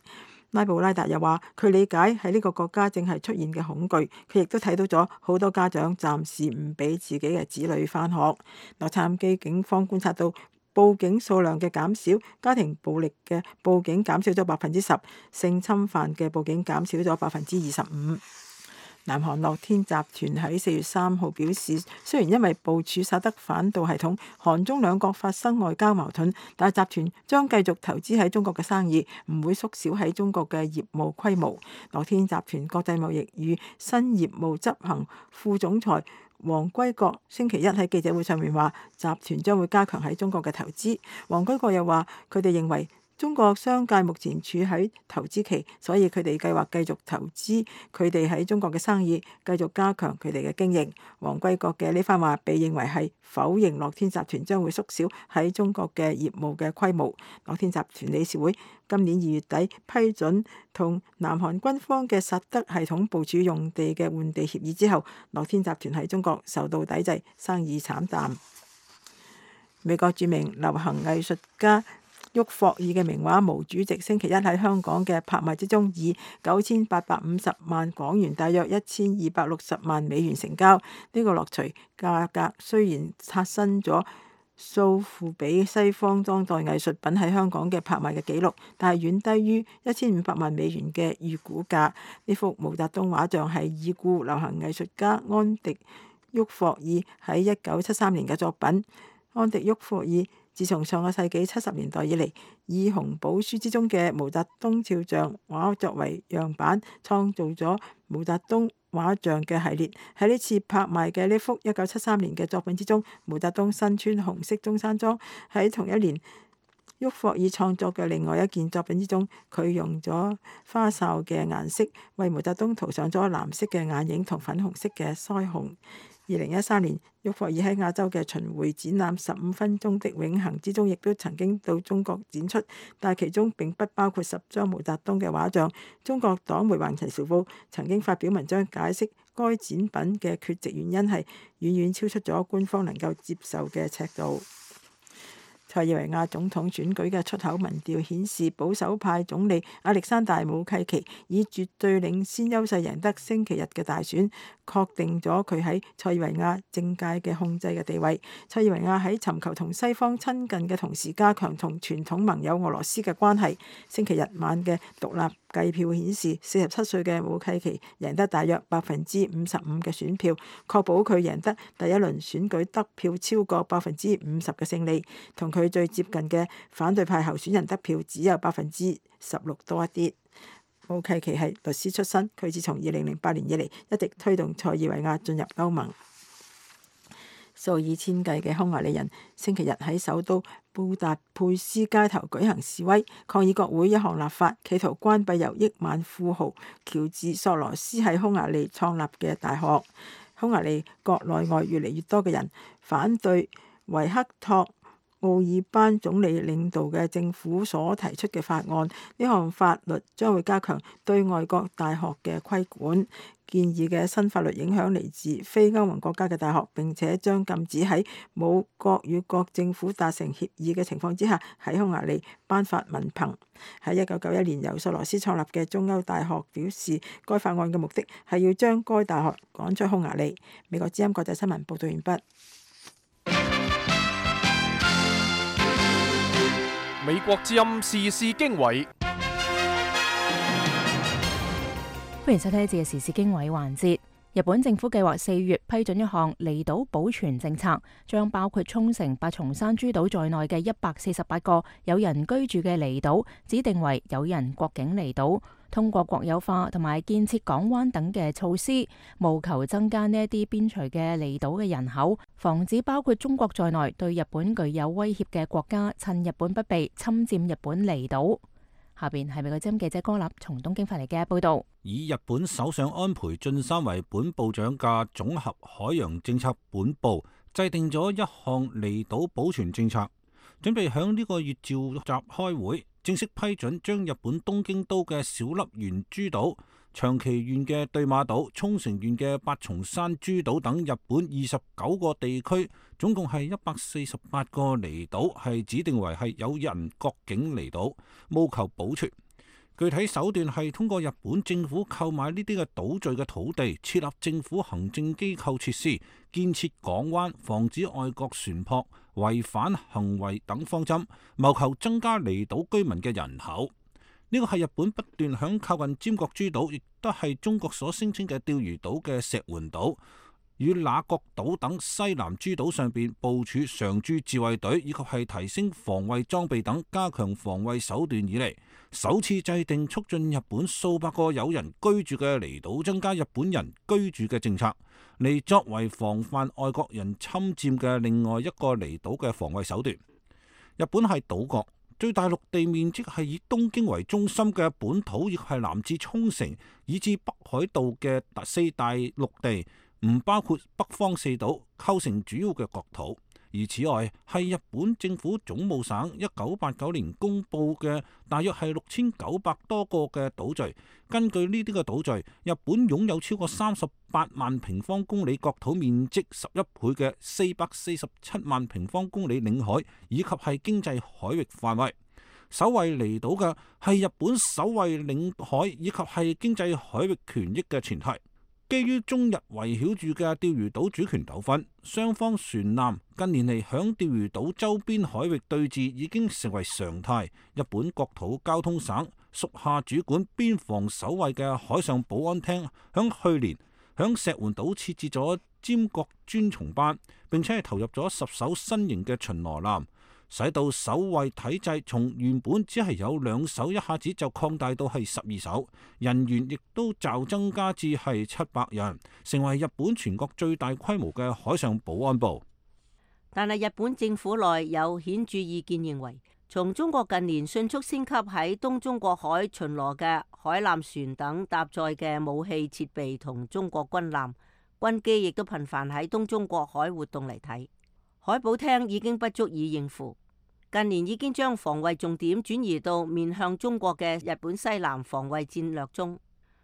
拉布拉達又話，佢理解喺呢個國家正係出現嘅恐懼，佢亦都睇到咗好多家長暫時唔俾自己嘅子女返學。洛杉磯警方觀察到報警數量嘅減少，家庭暴力嘅報警減少咗10%，性侵犯嘅報警減少咗25%。南韓樂天集團喺4月3號表示，雖然因為部署薩德反導系統，韓中兩國發生外交矛盾，但係集團將繼續投資喺中國嘅生意，唔會縮小喺中國嘅業務規模。樂天集團國際貿易與新業務執行副總裁黃歸國星期一喺記者會上面話，集團將會加強喺中國嘅投資。黃歸國又話，佢哋認為中國商界目前處喺投資期，所以佢哋計劃繼續投資佢哋喺中國嘅生意，繼續加強佢哋嘅經營。黃歸國嘅呢番話被認為係否認樂天集團將會縮小喺中國嘅業務嘅規模。樂天集團理事會今年2月底批准同南韓軍方嘅薩德系統部署用地嘅換地協議之後，樂天集團喺中國受到抵制，生意慘淡。美國著名流行藝術家沃霍爾嘅名畫毛主席星期一喺香港嘅拍賣之中，以9850萬港元，大約1260萬美元成交。呢個落槌價格雖然刷新咗數付比西方當代藝術品喺香港嘅拍賣嘅紀錄，但係遠低於1500萬美元嘅預估價。呢幅毛澤東畫像係已故流行藝術家安迪沃霍爾喺1973年嘅作品。安迪沃霍爾自從上個世紀70年代以嚟，以紅寶書之中嘅毛澤東肖像畫作為樣板，創造咗毛澤東畫像嘅系列。喺呢次拍賣嘅呢幅1973年嘅作品之中，毛澤東身穿紅色中山裝。喺同一年，沃霍爾創作嘅另外一件作品之中，佢用咗花哨嘅顏色為毛澤東塗上咗藍色嘅眼影同粉紅色嘅腮紅。2013年，沃霍爾喺亞洲嘅巡迴展覽15分鐘的永恆之中，亦都曾經到中國展出，但其中並不包括10張毛澤東嘅畫像。中國黨媒《環球時報》曾經發表文章解釋該展品嘅缺席原因係遠遠超出咗官方能夠接受嘅尺度。塞爾維亞總統選舉嘅出口民調顯示，保守派總理亞歷山大武契奇以絕對領先優勢贏得星期日嘅大選，確定咗佢喺塞爾維亞政界嘅控制嘅地位。塞爾維亞喺尋求同西方親近嘅同時，加強同傳統盟友俄羅斯嘅關係。星期日晚嘅獨立計票顯示，47歲嘅武契奇贏得大約55%嘅選票，確保佢贏得第一輪選舉得票超過50%嘅勝利。同佢最接近嘅反對派候選人得票只有16%多一啲。武契奇係律師出身，佢自從2008年以嚟一直推動塞爾維亞進入歐盟。數以千計嘅匈牙利人星期日喺首都布達佩斯街頭舉行示威，抗議國會一項立法，企圖關閉由億萬富豪喬治索羅斯喺匈牙利創立嘅大學。匈牙利國內外越嚟越多嘅人反對維克托奧爾班總理領導嘅政府所提出嘅法案。呢項法律將會加強對外國大學嘅規管。建議嘅新法律影響嚟自非歐盟國家嘅大學，並且將禁止喺冇國與國政府達成協議嘅情況之下喺匈牙利頒發文憑。喺1991年由索羅斯創立嘅中歐大學表示，該法案嘅目的係要將該大學趕出匈牙利。美國之音國際新聞報道完畢。美國之音時事經緯。歡迎收聽呢節嘅時事經緯環節。日本政府計劃4月批准一項離島保全政策，將包括沖繩、八重山諸島在內嘅148個有人居住嘅離島指定為有人國境離島，通過國有化同埋建設港灣等嘅措施，務求增加呢一啲邊陲嘅離島嘅人口，防止包括中國在內對日本具有威脅嘅國家趁日本不備侵佔日本離島。下邊係美國之音記者柯立從東京發嚟嘅報道。以日本首相安倍晉三為本部長嘅總合海洋政策本部制定咗一項離島保全政策，準備響呢個月召集開會，正式批准將日本東京都嘅小笠原諸島、長崎縣嘅對馬島、沖繩縣嘅八重山諸島等日本29個地區，總共係148個離島，係指定為係有人國境離島，務求保存。具體手段係通過日本政府購買呢啲嘅島嶼嘅土地，設立政府行政機構設施，建設港灣，防止外國船舶違反行為等方針，謀求增加離島居民嘅人口。呢個係日本不斷響靠近尖閣諸島，亦都係中國所聲稱嘅釣魚島嘅石垣島與那國島等西南諸島上邊部署常駐自衛隊，以及係提升防衛裝備等，加強防衛手段以嚟，首次制定促進日本數百個有人居住嘅離島增加日本人居住嘅政策，嚟作為防範外國人侵佔嘅另外一個離島嘅防衛手段。日本係島國，最大陸地面積係以東京為中心嘅本土，亦係南至沖繩以至北海道嘅4大陸地，唔包括北方4島，構成主要嘅國土。而此外係日本政府總務省1989年公佈嘅大約係6900多個嘅島嶼。根據呢啲嘅島嶼，日本擁有超過38萬平方公里國土面積11倍嘅447萬平方公里領海，以及係經濟海域範圍。守衛離島嘅係日本守衛領海以及係經濟海域權益嘅前提。基於中日圍繞住嘅釣魚島主權糾紛，雙方船艦近年嚟響釣魚島周邊海域對峙已經成為常態。日本國土交通省屬下主管邊防守衛嘅海上保安廳響去年響石垣島設置咗尖閣專松班，並且係投入咗10艘新型嘅巡邏艦，使到守衛體制從原本只係有2艘，一下子就擴大到係12艘，人員亦都驟增加至係700人，成為日本全國最大規模嘅海上保安部。但係日本政府內有顯著意見認為，從中國近年迅速升級喺東中國海巡邏嘅海艦船等搭載嘅武器設備同中國軍艦、軍機亦都頻繁喺東中國海活動嚟睇，海保廳已經不足以應付。近年已經將防衛重點轉移到面向中國嘅日本西南防衛戰略中。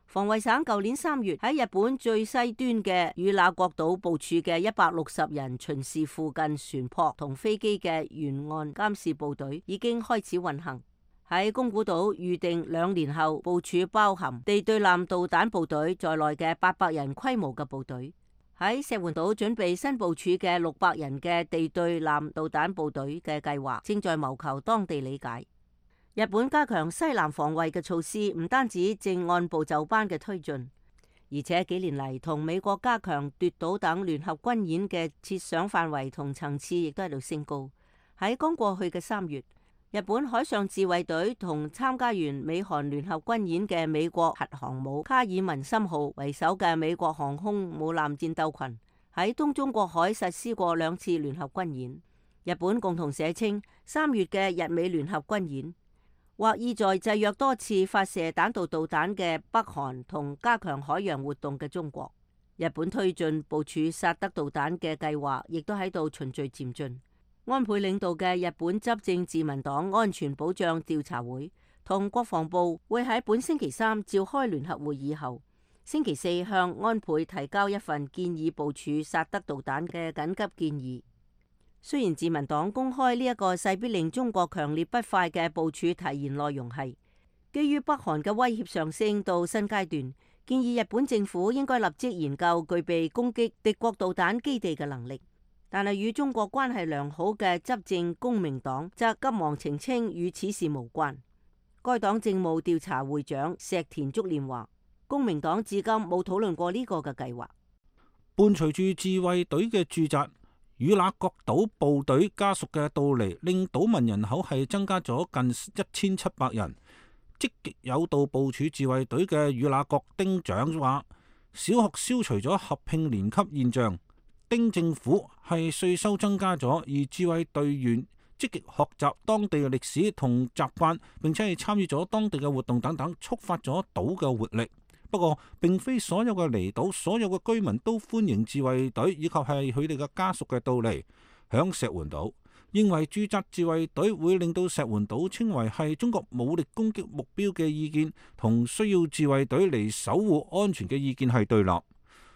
防衛省舊年3月喺日本最西端嘅與那國島部署嘅160人巡視附近船舶同飛機嘅沿岸監視部隊已經開始運行。喺宮古島預定2年後部署包含地對艦導彈部隊在內嘅800人規模嘅部隊。喺石垣島準備新部署嘅600人嘅地對艦導彈部隊嘅計劃正在謀求當地理解。日本加強西南防衛嘅措施唔單止正按部就班嘅推進，而且幾年嚟同美國加強奪島等聯合軍演嘅設想範圍同層次亦都喺度升高。喺剛過去嘅3月，日本海上自衛隊同參加完美韓聯合軍演嘅美國核航母卡爾文森號為首嘅美國航空母艦戰鬥群喺東中國海實施過2次聯合軍演。日本共同社稱，3月嘅日美聯合軍演，或意在制約多次發射彈道導彈嘅北韓同加強海洋活動嘅中國。日本推進部署薩德導彈嘅計劃，亦都喺度循序漸進。安倍領導嘅日本執政自民黨安全保障調查會同國防部會喺本星期3召開聯合會議後，星期4向安倍提交一份建議部署薩德導彈嘅緊急建議。雖然自民黨公開呢一個勢必令中國強烈不快嘅部署提言內容係基於北韓嘅威脅上升到新階段，建議日本政府應該立即研究具備攻擊敵國導彈基地嘅能力。但係與中國關係良好嘅執政公明黨則急忙澄清與此事無關。該黨政務調查會長石田竹蓮話，公明黨至今冇討論過呢個嘅計劃。伴隨住自衛隊嘅駐紮，與那國島部隊家屬嘅到嚟，令島民人口係增加咗近1700人。積極有道部署自衛隊嘅與那國丁長話，小學消除咗合併年級現象。丁政府係稅收增加咗，而自衛隊員積極學習當地嘅歷史同習慣，並且係參與咗當地嘅活動等等，觸發咗島嘅活力。不過，並非所有嘅離島、所有嘅居民都歡迎自衛隊以及係佢哋嘅家屬嘅到嚟。響石垣島，認為駐紮自衛隊會令到石垣島稱為係中國武力攻擊目標嘅意見，同需要自衛隊嚟守護安全嘅意見係對立。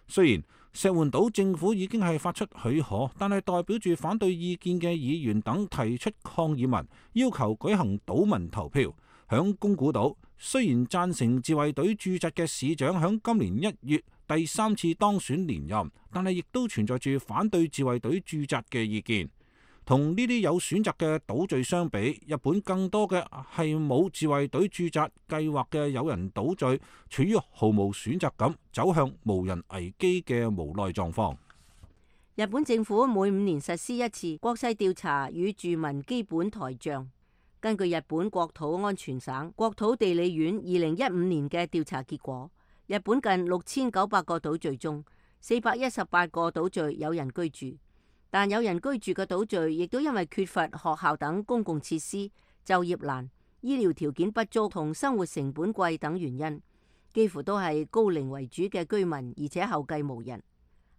雖然石垣島政府已經係發出許可，但係代表住反對意見嘅議員等提出抗議文，要求舉行島民投票。響宮古島，雖然贊成自衛隊駐紮嘅市長響今年1月第3次當選連任，但係亦都存在住反對自衛隊駐紮嘅意見。同呢啲有選擇嘅島嶼相比，日本更多嘅係冇自衛隊駐紮計劃嘅有人島嶼，處於毫無選擇感，走向無人危機嘅無奈狀況。日本政府每5年實施一次國勢調查與住民基本台帳。根據日本國土安全省國土地理院2015年嘅調查結果，日本近6900個島嶼中，418個島嶼有人居住。但有人居住嘅島嶼，亦都因為缺乏學校等公共設施、就業難、醫療條件不足同生活成本貴等原因，幾乎都係高齡為主嘅居民，而且後繼無人。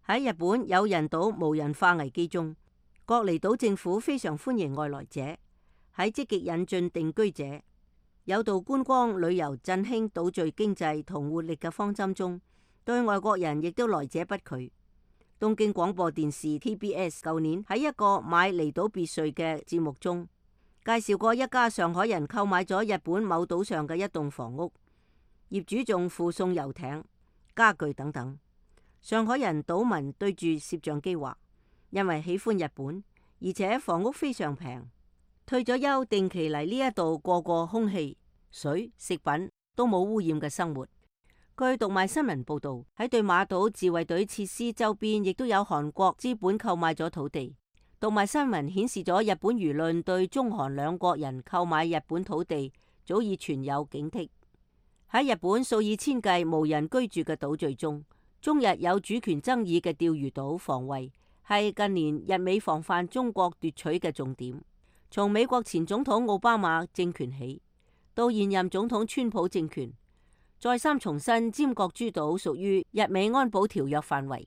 喺日本有人島無人化危機中，各離島政府非常歡迎外來者，喺積極引進定居者、有道觀光旅遊振興島嶼經濟同活力嘅方針中，對外國人亦都來者不拒。東京廣播電視 TBS 舊年喺一個買離島別墅嘅節目中，介紹過一家上海人購買咗日本某島上嘅一棟房屋，業主仲附送遊艇、家具等等。上海人島民對住攝像機話，因為喜歡日本，而且房屋非常平，退咗休定期嚟呢一度過空氣、水、食品都冇污染嘅生活。據讀賣新聞報道，喺對馬島自衛隊設施周邊，亦都有韓國資本購買咗土地。讀賣新聞顯示咗日本輿論對中韓兩國人購買日本土地早已存有警惕。喺日本數以千計無人居住嘅島嶼中，中日有主權爭議嘅釣魚島防衛係近年日美防範中國奪取嘅重點。從美國前總統奧巴馬政權起，到現任總統川普政權，再三重申尖閣諸島屬於日美安保條約範圍，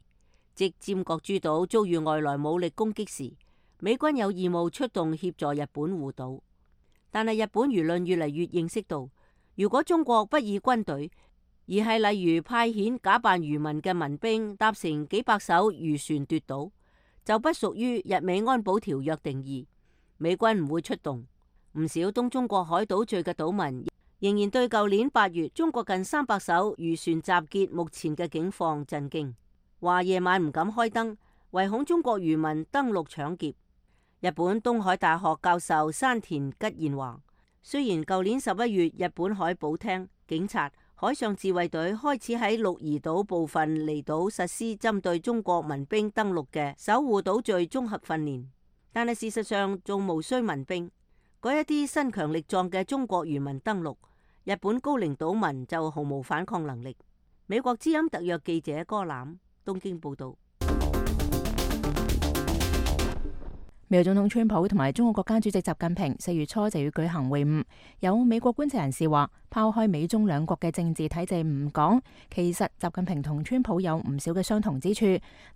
即尖閣諸島遭遇外來武力攻擊時，美軍有義務出動協助日本護島。但係日本輿論越嚟越認識到，如果中國不以軍隊，而係例如派遣假扮漁民嘅民兵搭乘幾百艘漁船奪島，就不屬於日美安保條約定義，美軍唔會出動。唔少東中國海島嶼嘅島民仍然對舊年8月中國近300艘漁船集結目前嘅境況震驚，話夜晚唔敢開燈，唯恐中國漁民登陸搶劫。日本東海大學教授山田吉彥話，雖然舊年11月日本海保廳、警察、海上自衛隊開始喺鹿兒島部分離島實施針對中國民兵登陸嘅守護島嶼綜合訓練，但係事實上仲無需民兵。嗰一啲身強力壯嘅中國漁民登陸，日本高齡島民就毫無反抗能力。美國之音特約記者柯欖東京報道。美國總統川普同埋中國國家主席習近平4月初就要舉行會晤。有美國觀察人士話，拋開美中兩國嘅政治體制唔講，其實習近平同川普有唔少嘅相同之處，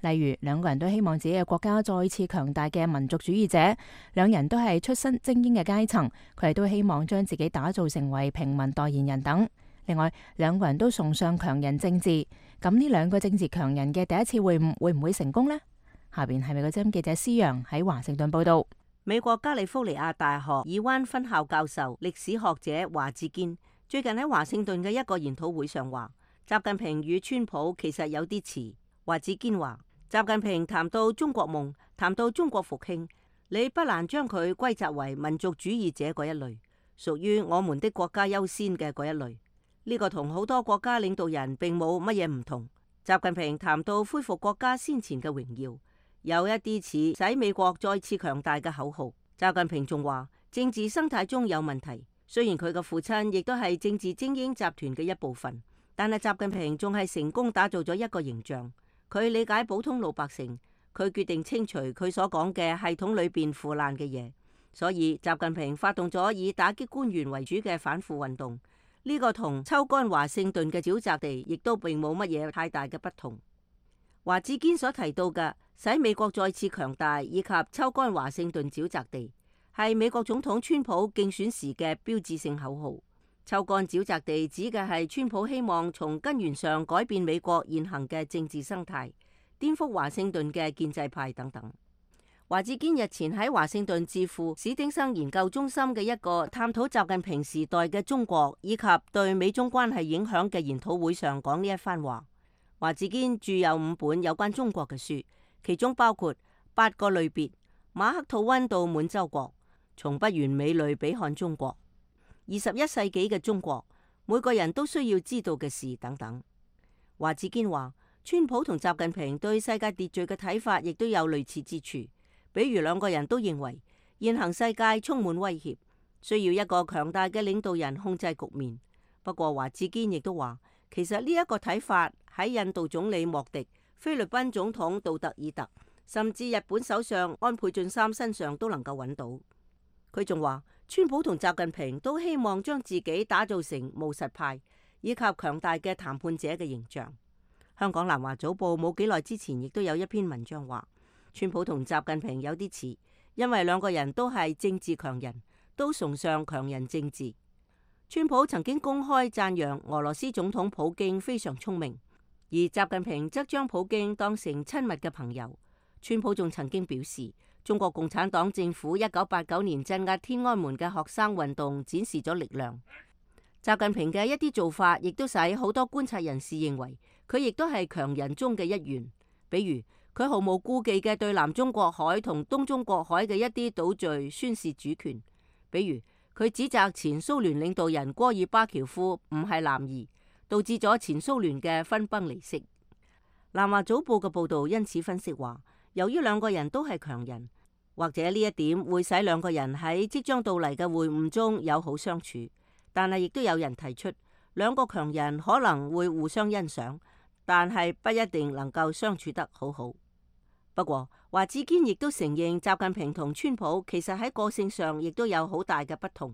例如兩個人都希望自己嘅國家再次強大嘅民族主義者，兩人都係出身精英嘅階層，佢哋都希望將自己打造成為平民代言人等。另外，兩個人都崇尚強人政治，咁呢兩個政治強人嘅第一次會晤會唔會成功呢？下邊係美國之音記者施洋喺華盛頓報道。美國加利福尼亞大學爾灣分校教授、歷史學者華志堅最近喺華盛頓嘅一個研討會上話，習近平與川普其實有啲似。華志堅話，習近平談到中國夢，談到中國復興，你不難將佢歸責為民族主義者嗰一類，屬於我們的國家優先嘅嗰一類。呢個同好多國家領導人並冇乜嘢唔同。習近平談到恢復國家先前嘅榮耀，有一啲似使美國再次強大嘅口號。習近平仲話，政治生態中有問題。雖然佢嘅父親亦都係政治精英集團嘅一部分，但係習近平仲係成功打造咗一個形象。佢理解普通老百姓，佢決定清除佢所講嘅系統裏邊腐爛嘅嘢。所以習近平發動咗以打擊官員為主嘅反腐運動。呢個同抽乾華盛頓嘅沼澤地亦都並冇乜嘢太大嘅不同。華志堅所提到嘅使美國再次強大以及抽乾華盛頓沼澤地，係美國總統川普競選時嘅標誌性口號。抽乾沼澤地指嘅係川普希望從根源上改變美國現行嘅政治生態，顛覆華盛頓嘅建制派等等。華志堅日前喺華盛頓智庫史丁生研究中心嘅一個探討習近平時代嘅中國以及對美中關係影響嘅研討會上講呢一番話。華志堅著有5本有關中國嘅書，其中包括8個類別、馬克吐溫到滿洲國、從不完美類比看中國、21世紀嘅中國、每個人都需要知道嘅事等等。華志堅話，川普同習近平對世界秩序嘅睇法亦都有類似之處。比如兩個人都認為現行世界充滿威脅，需要一個強大嘅領導人控制局面。不過華志堅亦都話，其實呢一個睇法喺印度總理莫迪、菲律賓總統杜特爾特，甚至日本首相安倍晉三身上都能夠揾到。佢仲話，川普同習近平都希望將自己打造成務實派以及強大嘅談判者嘅形象。香港南華早報冇幾耐之前亦都有一篇文章話，川普同習近平有啲似，因為兩個人都係政治強人，都崇尚強人政治。川普曾經公開讚揚俄羅斯總統普京非常聰明，而習近平則將普京當成親密嘅朋友。川普仲曾經表示，中國共產黨政府1989年鎮壓天安門嘅學生運動展示咗力量。習近平嘅一啲做法，亦都使好多觀察人士認為佢亦都係強人中嘅一員。比如佢毫無顧忌嘅對南中國海同東中國海嘅一啲島嶼宣示主權，比如佢指責前蘇聯領導人戈爾巴喬夫唔係男兒，導致咗前蘇聯嘅分崩離析。南華早報嘅報導因此分析話，由於兩個人都係強人，或者呢一點會使兩個人喺即將到嚟嘅會晤中友好相處，但係亦都有人提出兩個強人可能會互相欣賞，但係不一定能夠相處得好好。不過華志堅亦都承認，習近平同川普其實喺個性上亦都有好大嘅不同。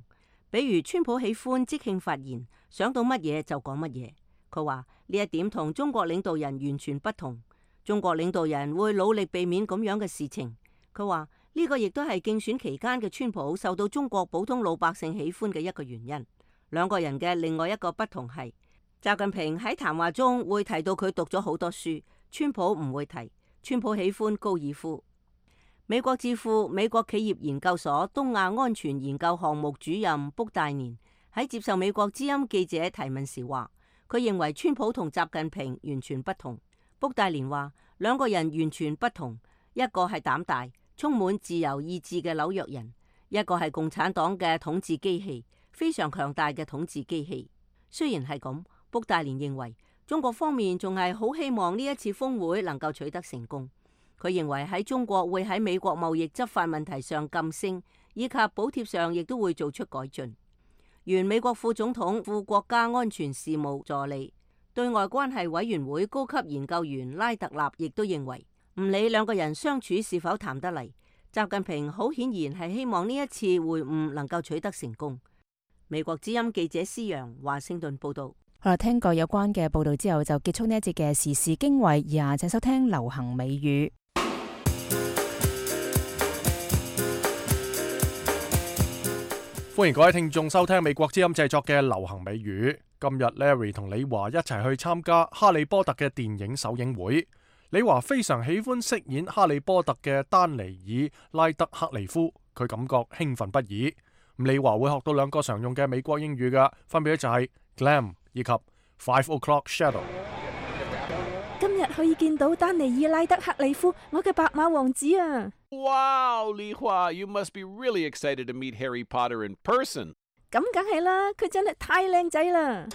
比如川普喜歡即興發言，想到乜嘢就講乜嘢。佢話呢一點同中國領導人完全不同。中國領導人會努力避免咁樣嘅事情。佢話呢個亦都係競選期間嘅川普受到中國普通老百姓喜歡嘅一個原因。兩個人嘅另外一個不同係，習近平喺談話中會提到佢讀咗好多書，川普唔會提。川普喜歡高爾夫。美國智庫美國企業研究所東亞安全研究項目主任卜大年喺接受美國之音記者提問時話，佢認為川普同習近平完全不同。卜大年話，兩個人完全不同，一個係膽大、充滿自由意志嘅紐約人，一個係共產黨嘅統治機器，非常強大嘅統治機器。雖然係咁，卜大年認為中國方面仲係好希望呢一次峰會能夠取得成功。佢認為喺中國會喺美國貿易執法問題上噤聲，以及補貼上亦都會做出改進。原美國副總統、副國家安全事務助理、對外關係委員會高級研究員拉特納亦都認為，唔理兩個人相處是否談得嚟，習近平好顯然係希望呢一次會晤能夠取得成功。美國之音記者施陽華盛頓報道。好啦，聽過有關嘅報道之後，就結束呢一節嘅時事經緯。以下請收聽流行美語。歡迎各位聽眾收聽美國之音製作嘅流行美語。今日 Larry 同李華一齊去參加哈利波特嘅電影首映會。李華非常喜歡飾演哈利波特嘅丹尼爾拉德克利夫，佢感覺興奮不已。李華會學到兩個常用嘅美國英語嘅，分別就係 glam 以及 5 o'clock shadow。今日可以見到丹尼爾拉德克利夫，我嘅白馬王子啊！ Wow, Li Hua, you must be really excited to meet Harry Potter in person. 咁梗係啦，佢真係太靚仔啦！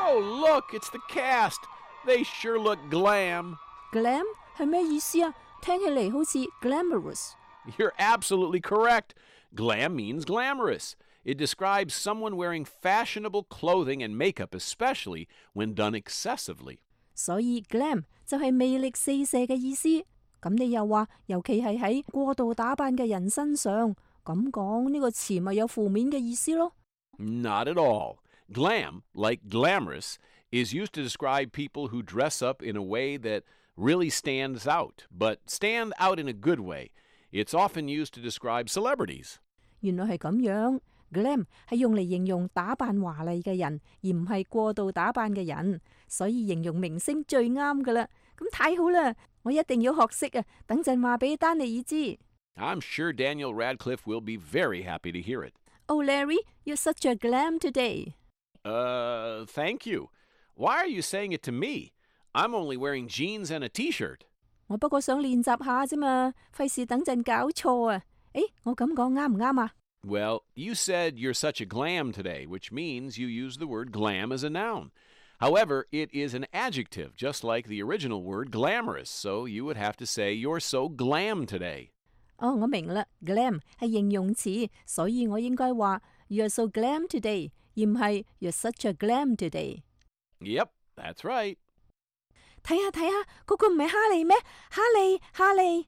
Oh, look, it's the cast. They sure look glam. Glam 係咩意思啊？聽起嚟好似 glamorous。 You're absolutely correct. Glam means glamorous. It describes someone wearing fashionable clothing and makeup, especially when done excessively. 所以 glam 就係魅力四射嘅意思。咁你又話，尤其係喺過度打扮嘅人身上，咁講呢個詞咪有負面嘅意思咯？ Not at all. Glam, like glamorous, is used to describe people who dress up in a way that really stands out, but stand out in a good way. It's often used to describe celebrities. 原來係咁樣。Glam 係用嚟形容打扮華麗嘅人，而唔係過度打扮嘅人，所以形容明星最啱噶啦。咁太好啦，我一定要學識啊！等陣話俾丹尼爾知。I'm sure Daniel Radcliffe will be very happy to hear it. Oh, Larry, you're such a glam today. Thank you. Why are you saying it to me? I'm only wearing jeans and a t-shirt. 我不過想練習下啫嘛，費事等陣搞錯啊！誒，我咁講啱唔啱啊？ Well, you said you're such a glam today, which means you use the word glam as a noun. However, it is an adjective, just like the original word glamorous, so you would have to say you're so glam today. 哦，我明啦 ，glam 係形容詞，所以我應該話 You're so glam today， 而唔係 You're such a glam today。 Yep, that's right. 睇下，嗰個唔係哈利咩？哈利。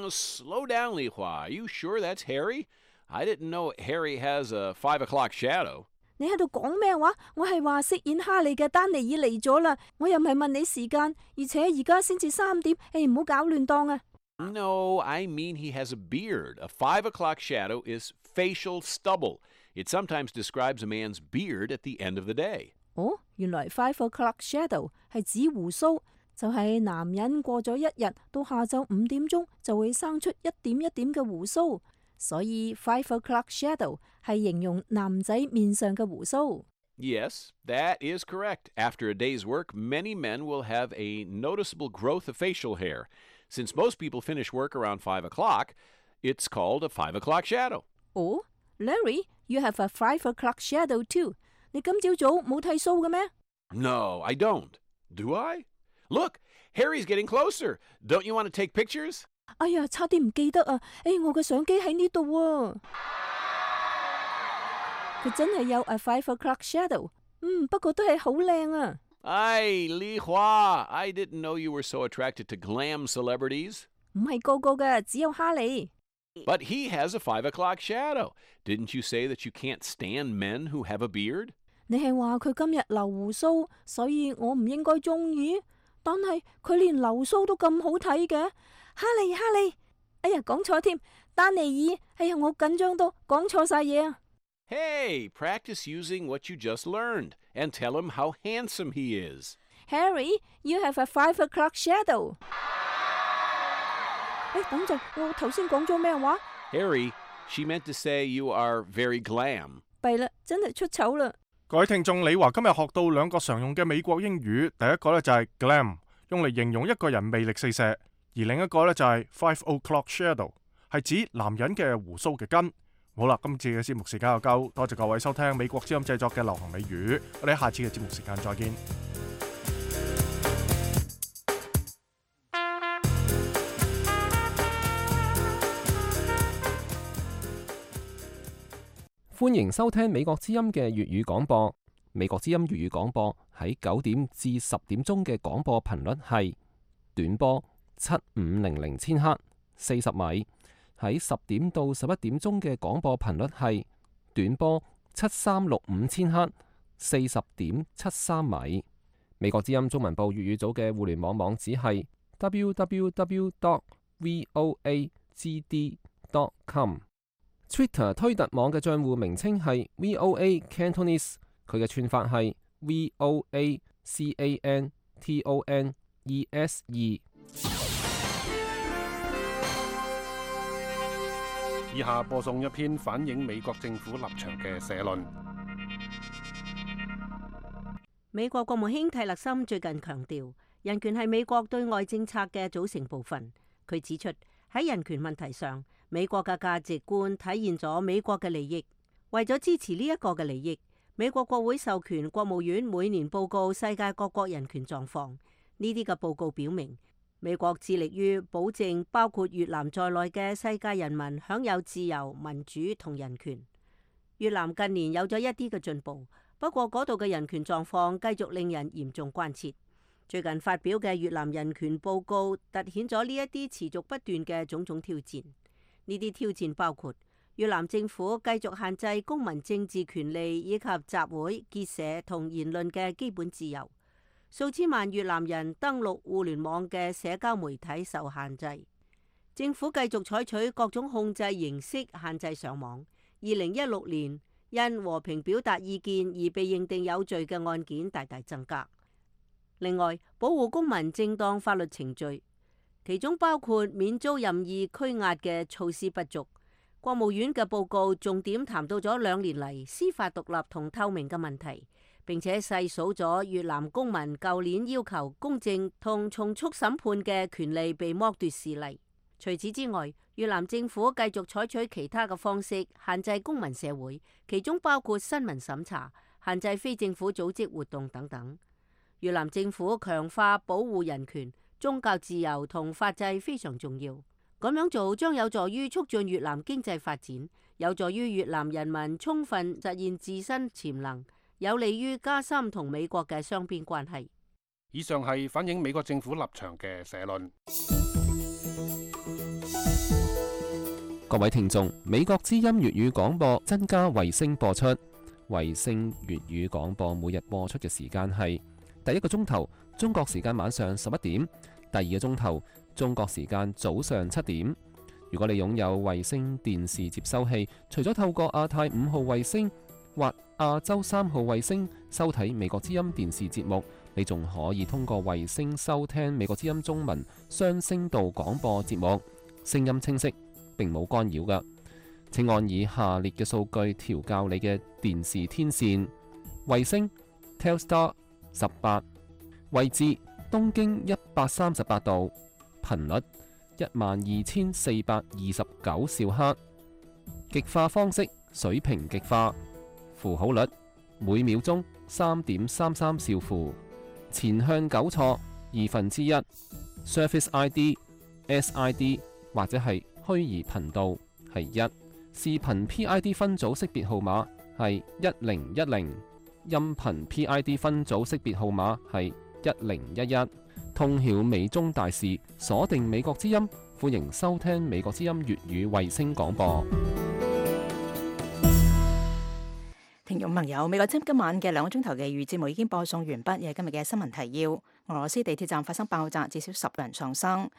Slow down, Li Hua. Are you sure that's Harry? I didn't know Harry has a 5 o'clock shadow. 你喺度講咩話？我係話飾演哈利嘅丹尼爾嚟咗啦，我又唔係問你時間，而且而家先至3點，唔好搞亂檔啊！ No, I mean he has a beard. A 5 o'clock shadow is facial stubble. It sometimes describes a man's beard at the end of the day. 哦，原來5 o'clock shadow 係指鬍鬚，就係男人過咗一日到下晝5點鐘就會生出一點一點嘅鬍鬚。所以5 o'clock shadow 係形容男仔面上嘅鬍鬚。 Yes, that is correct. After a day's work, many men will have a noticeable growth of facial hair. Since most people finish work around 5 o'clock, it's called a 5 o'clock shadow. Oh, Larry, you have a 5 o'clock shadow too. 你今朝早冇剃鬚嘅咩？ No, I don't. Do I? Look, Harry's getting closer. Don't you want to take pictures? 哎呀，差啲唔記得啊！我嘅相機喺呢度啊！佢真係有 a 5 o'clock shadow。不過都係好靚啊！ Ay, Li Hua, I didn't know you were so attracted to glam celebrities. 唔係個個嘅，只有哈利。 But he has a 5 o'clock shadow. Didn't you say that you can't stand men who have a beard? 你係話佢今日留鬍鬚，所以我唔應該中意。但係佢連留鬚都咁好睇嘅，哈利，哎呀講錯添，丹尼爾，哎呀我緊張到講錯晒嘢啊！ Hey, practice using what you just learned and tell him how handsome he is. Harry, you have a 5 o'clock shadow. 等陣，我頭先講咗咩話？ Harry, she meant to say you are very glam. 弊啦，真係出醜啦！各位聽眾，李華今日學到兩個常用嘅美國英語，第一個呢就係 glam， 用嚟形容一個人魅力四射，而另一個呢就係 5 o'clock shadow， 係指男人嘅鬍鬚嘅根。好啦，今次嘅節目時間又夠，多謝各位收聽美國之音製作嘅流行美語，我哋下次嘅節目時間再見。歡迎收聽美國之音嘅粵語廣播。美國之音粵語廣播喺9點至10點鐘嘅廣播頻率係短波7500千赫，40米。喺10點到11點鐘嘅廣播頻率係短波7365千赫，40.73米。美國之音中文部粵語組嘅互聯網網址係 www.voagd.com。Twitter 推特網嘅帳戶名稱係 VOA Cantonese， 佢嘅串法係 VOACANTONESE。以下播送一篇反映美國政府立場嘅社論。美國國務卿蒂勒森最近強調，人權係美國對外政策嘅組成部分。佢指出，喺人權問題上，美國嘅價值觀體現咗美國嘅利益。為咗支持呢一個嘅利益，美國國會授權國務院每年報告世界各國人權狀況。呢啲嘅報告表明，美國致力於保證包括越南在內嘅世界人民享有自由、民主同人權。越南近年有咗一啲嘅進步，不過嗰度嘅人權狀況繼續令人嚴重關切。最近發表嘅越南人權報告凸顯咗呢一啲持續不斷嘅種種挑戰。呢啲挑戰包括越南政府繼續限制公民政治權利以及集會、結社同言論嘅基本自由。數千萬越南人登錄互聯網嘅社交媒體受限制，政府繼續採取各種控制形式限制上網。2016年因和平表達意見而被認定有罪嘅案件大大增加。另外，保護公民正當法律程序，其中包括免遭任意拘押嘅措施不足。國務院嘅報告重點談到咗2年嚟司法獨立同透明嘅問題，並且細數咗越南公民舊年要求公正同從速審判嘅權利被剝奪事例。除此之外，越南政府繼續採取其他嘅方式限制公民社會，其中包括新聞審查、限制非政府組織活動等等。越南政府強化保護人權、宗教自由同法制非常重要。咁樣做將有助於促進越南經濟發展，有助於越南人民充分實現自身潛能，有利於加深同美國嘅雙邊關係。以上係反映美國政府立場嘅社論。各位聽眾，美國之音粵語廣播增加衛星播出。衛星粵語廣播每日播出嘅時間係第一個鐘頭中國時間晚上11點，第二個鐘頭中國時間早上7點。如果你擁有衛星電視接收器，除咗透過亞太5號衛星或亞洲3號衛星收睇美國之音電視節目，你仲可以通過衛星收聽美國之音中文雙聲道廣播節目，聲音清晰，並冇干擾㗎。請按以下列嘅數據調校你嘅電視天線：衛星 Telstar 18，位置東經138度，頻率12429兆赫，極化方式水平極化，符號率每秒鐘3.33兆符，前向糾錯1/2， Surface ID SID 或者係虛擬頻道係1，視頻 PID 分組識別號碼係1010，音頻 PID 分組識別號碼係1011。通曉美中大事，鎖定美國之音，歡迎收聽美國之音粵語衛星廣播。聽眾朋友，美國之音今晚嘅2個鐘頭嘅粵語節目已經播送完畢，亦係今日嘅新聞提要。俄羅斯地鐵站發生爆炸，至少10人喪生。美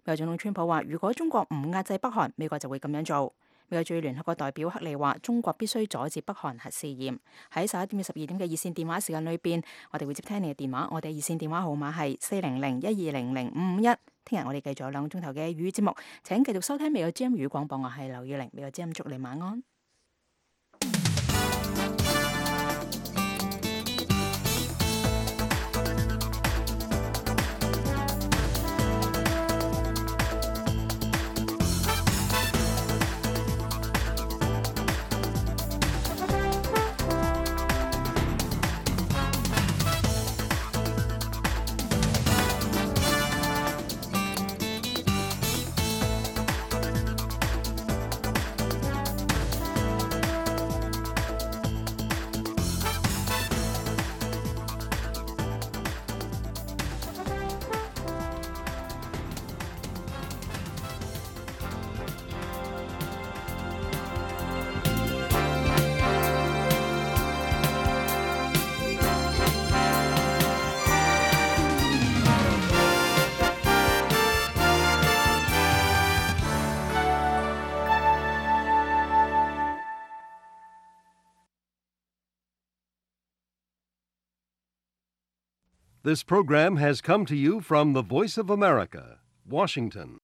國總統川普話，如果中國唔壓制北韓，美國就會咁樣做。美國駐聯合國代表克里話，中國必須阻止北韓核試驗。喺11點至12點嘅熱線電話時間裏邊，我哋會接聽你嘅電話。我哋熱線電話號碼係400-1200-551。聽日我哋繼續有2個鐘頭嘅粵語節目，請繼續收聽美國之音語廣播。我係劉宇玲，美國之音祝你晚安。This program has come to you from the Voice of America, Washington.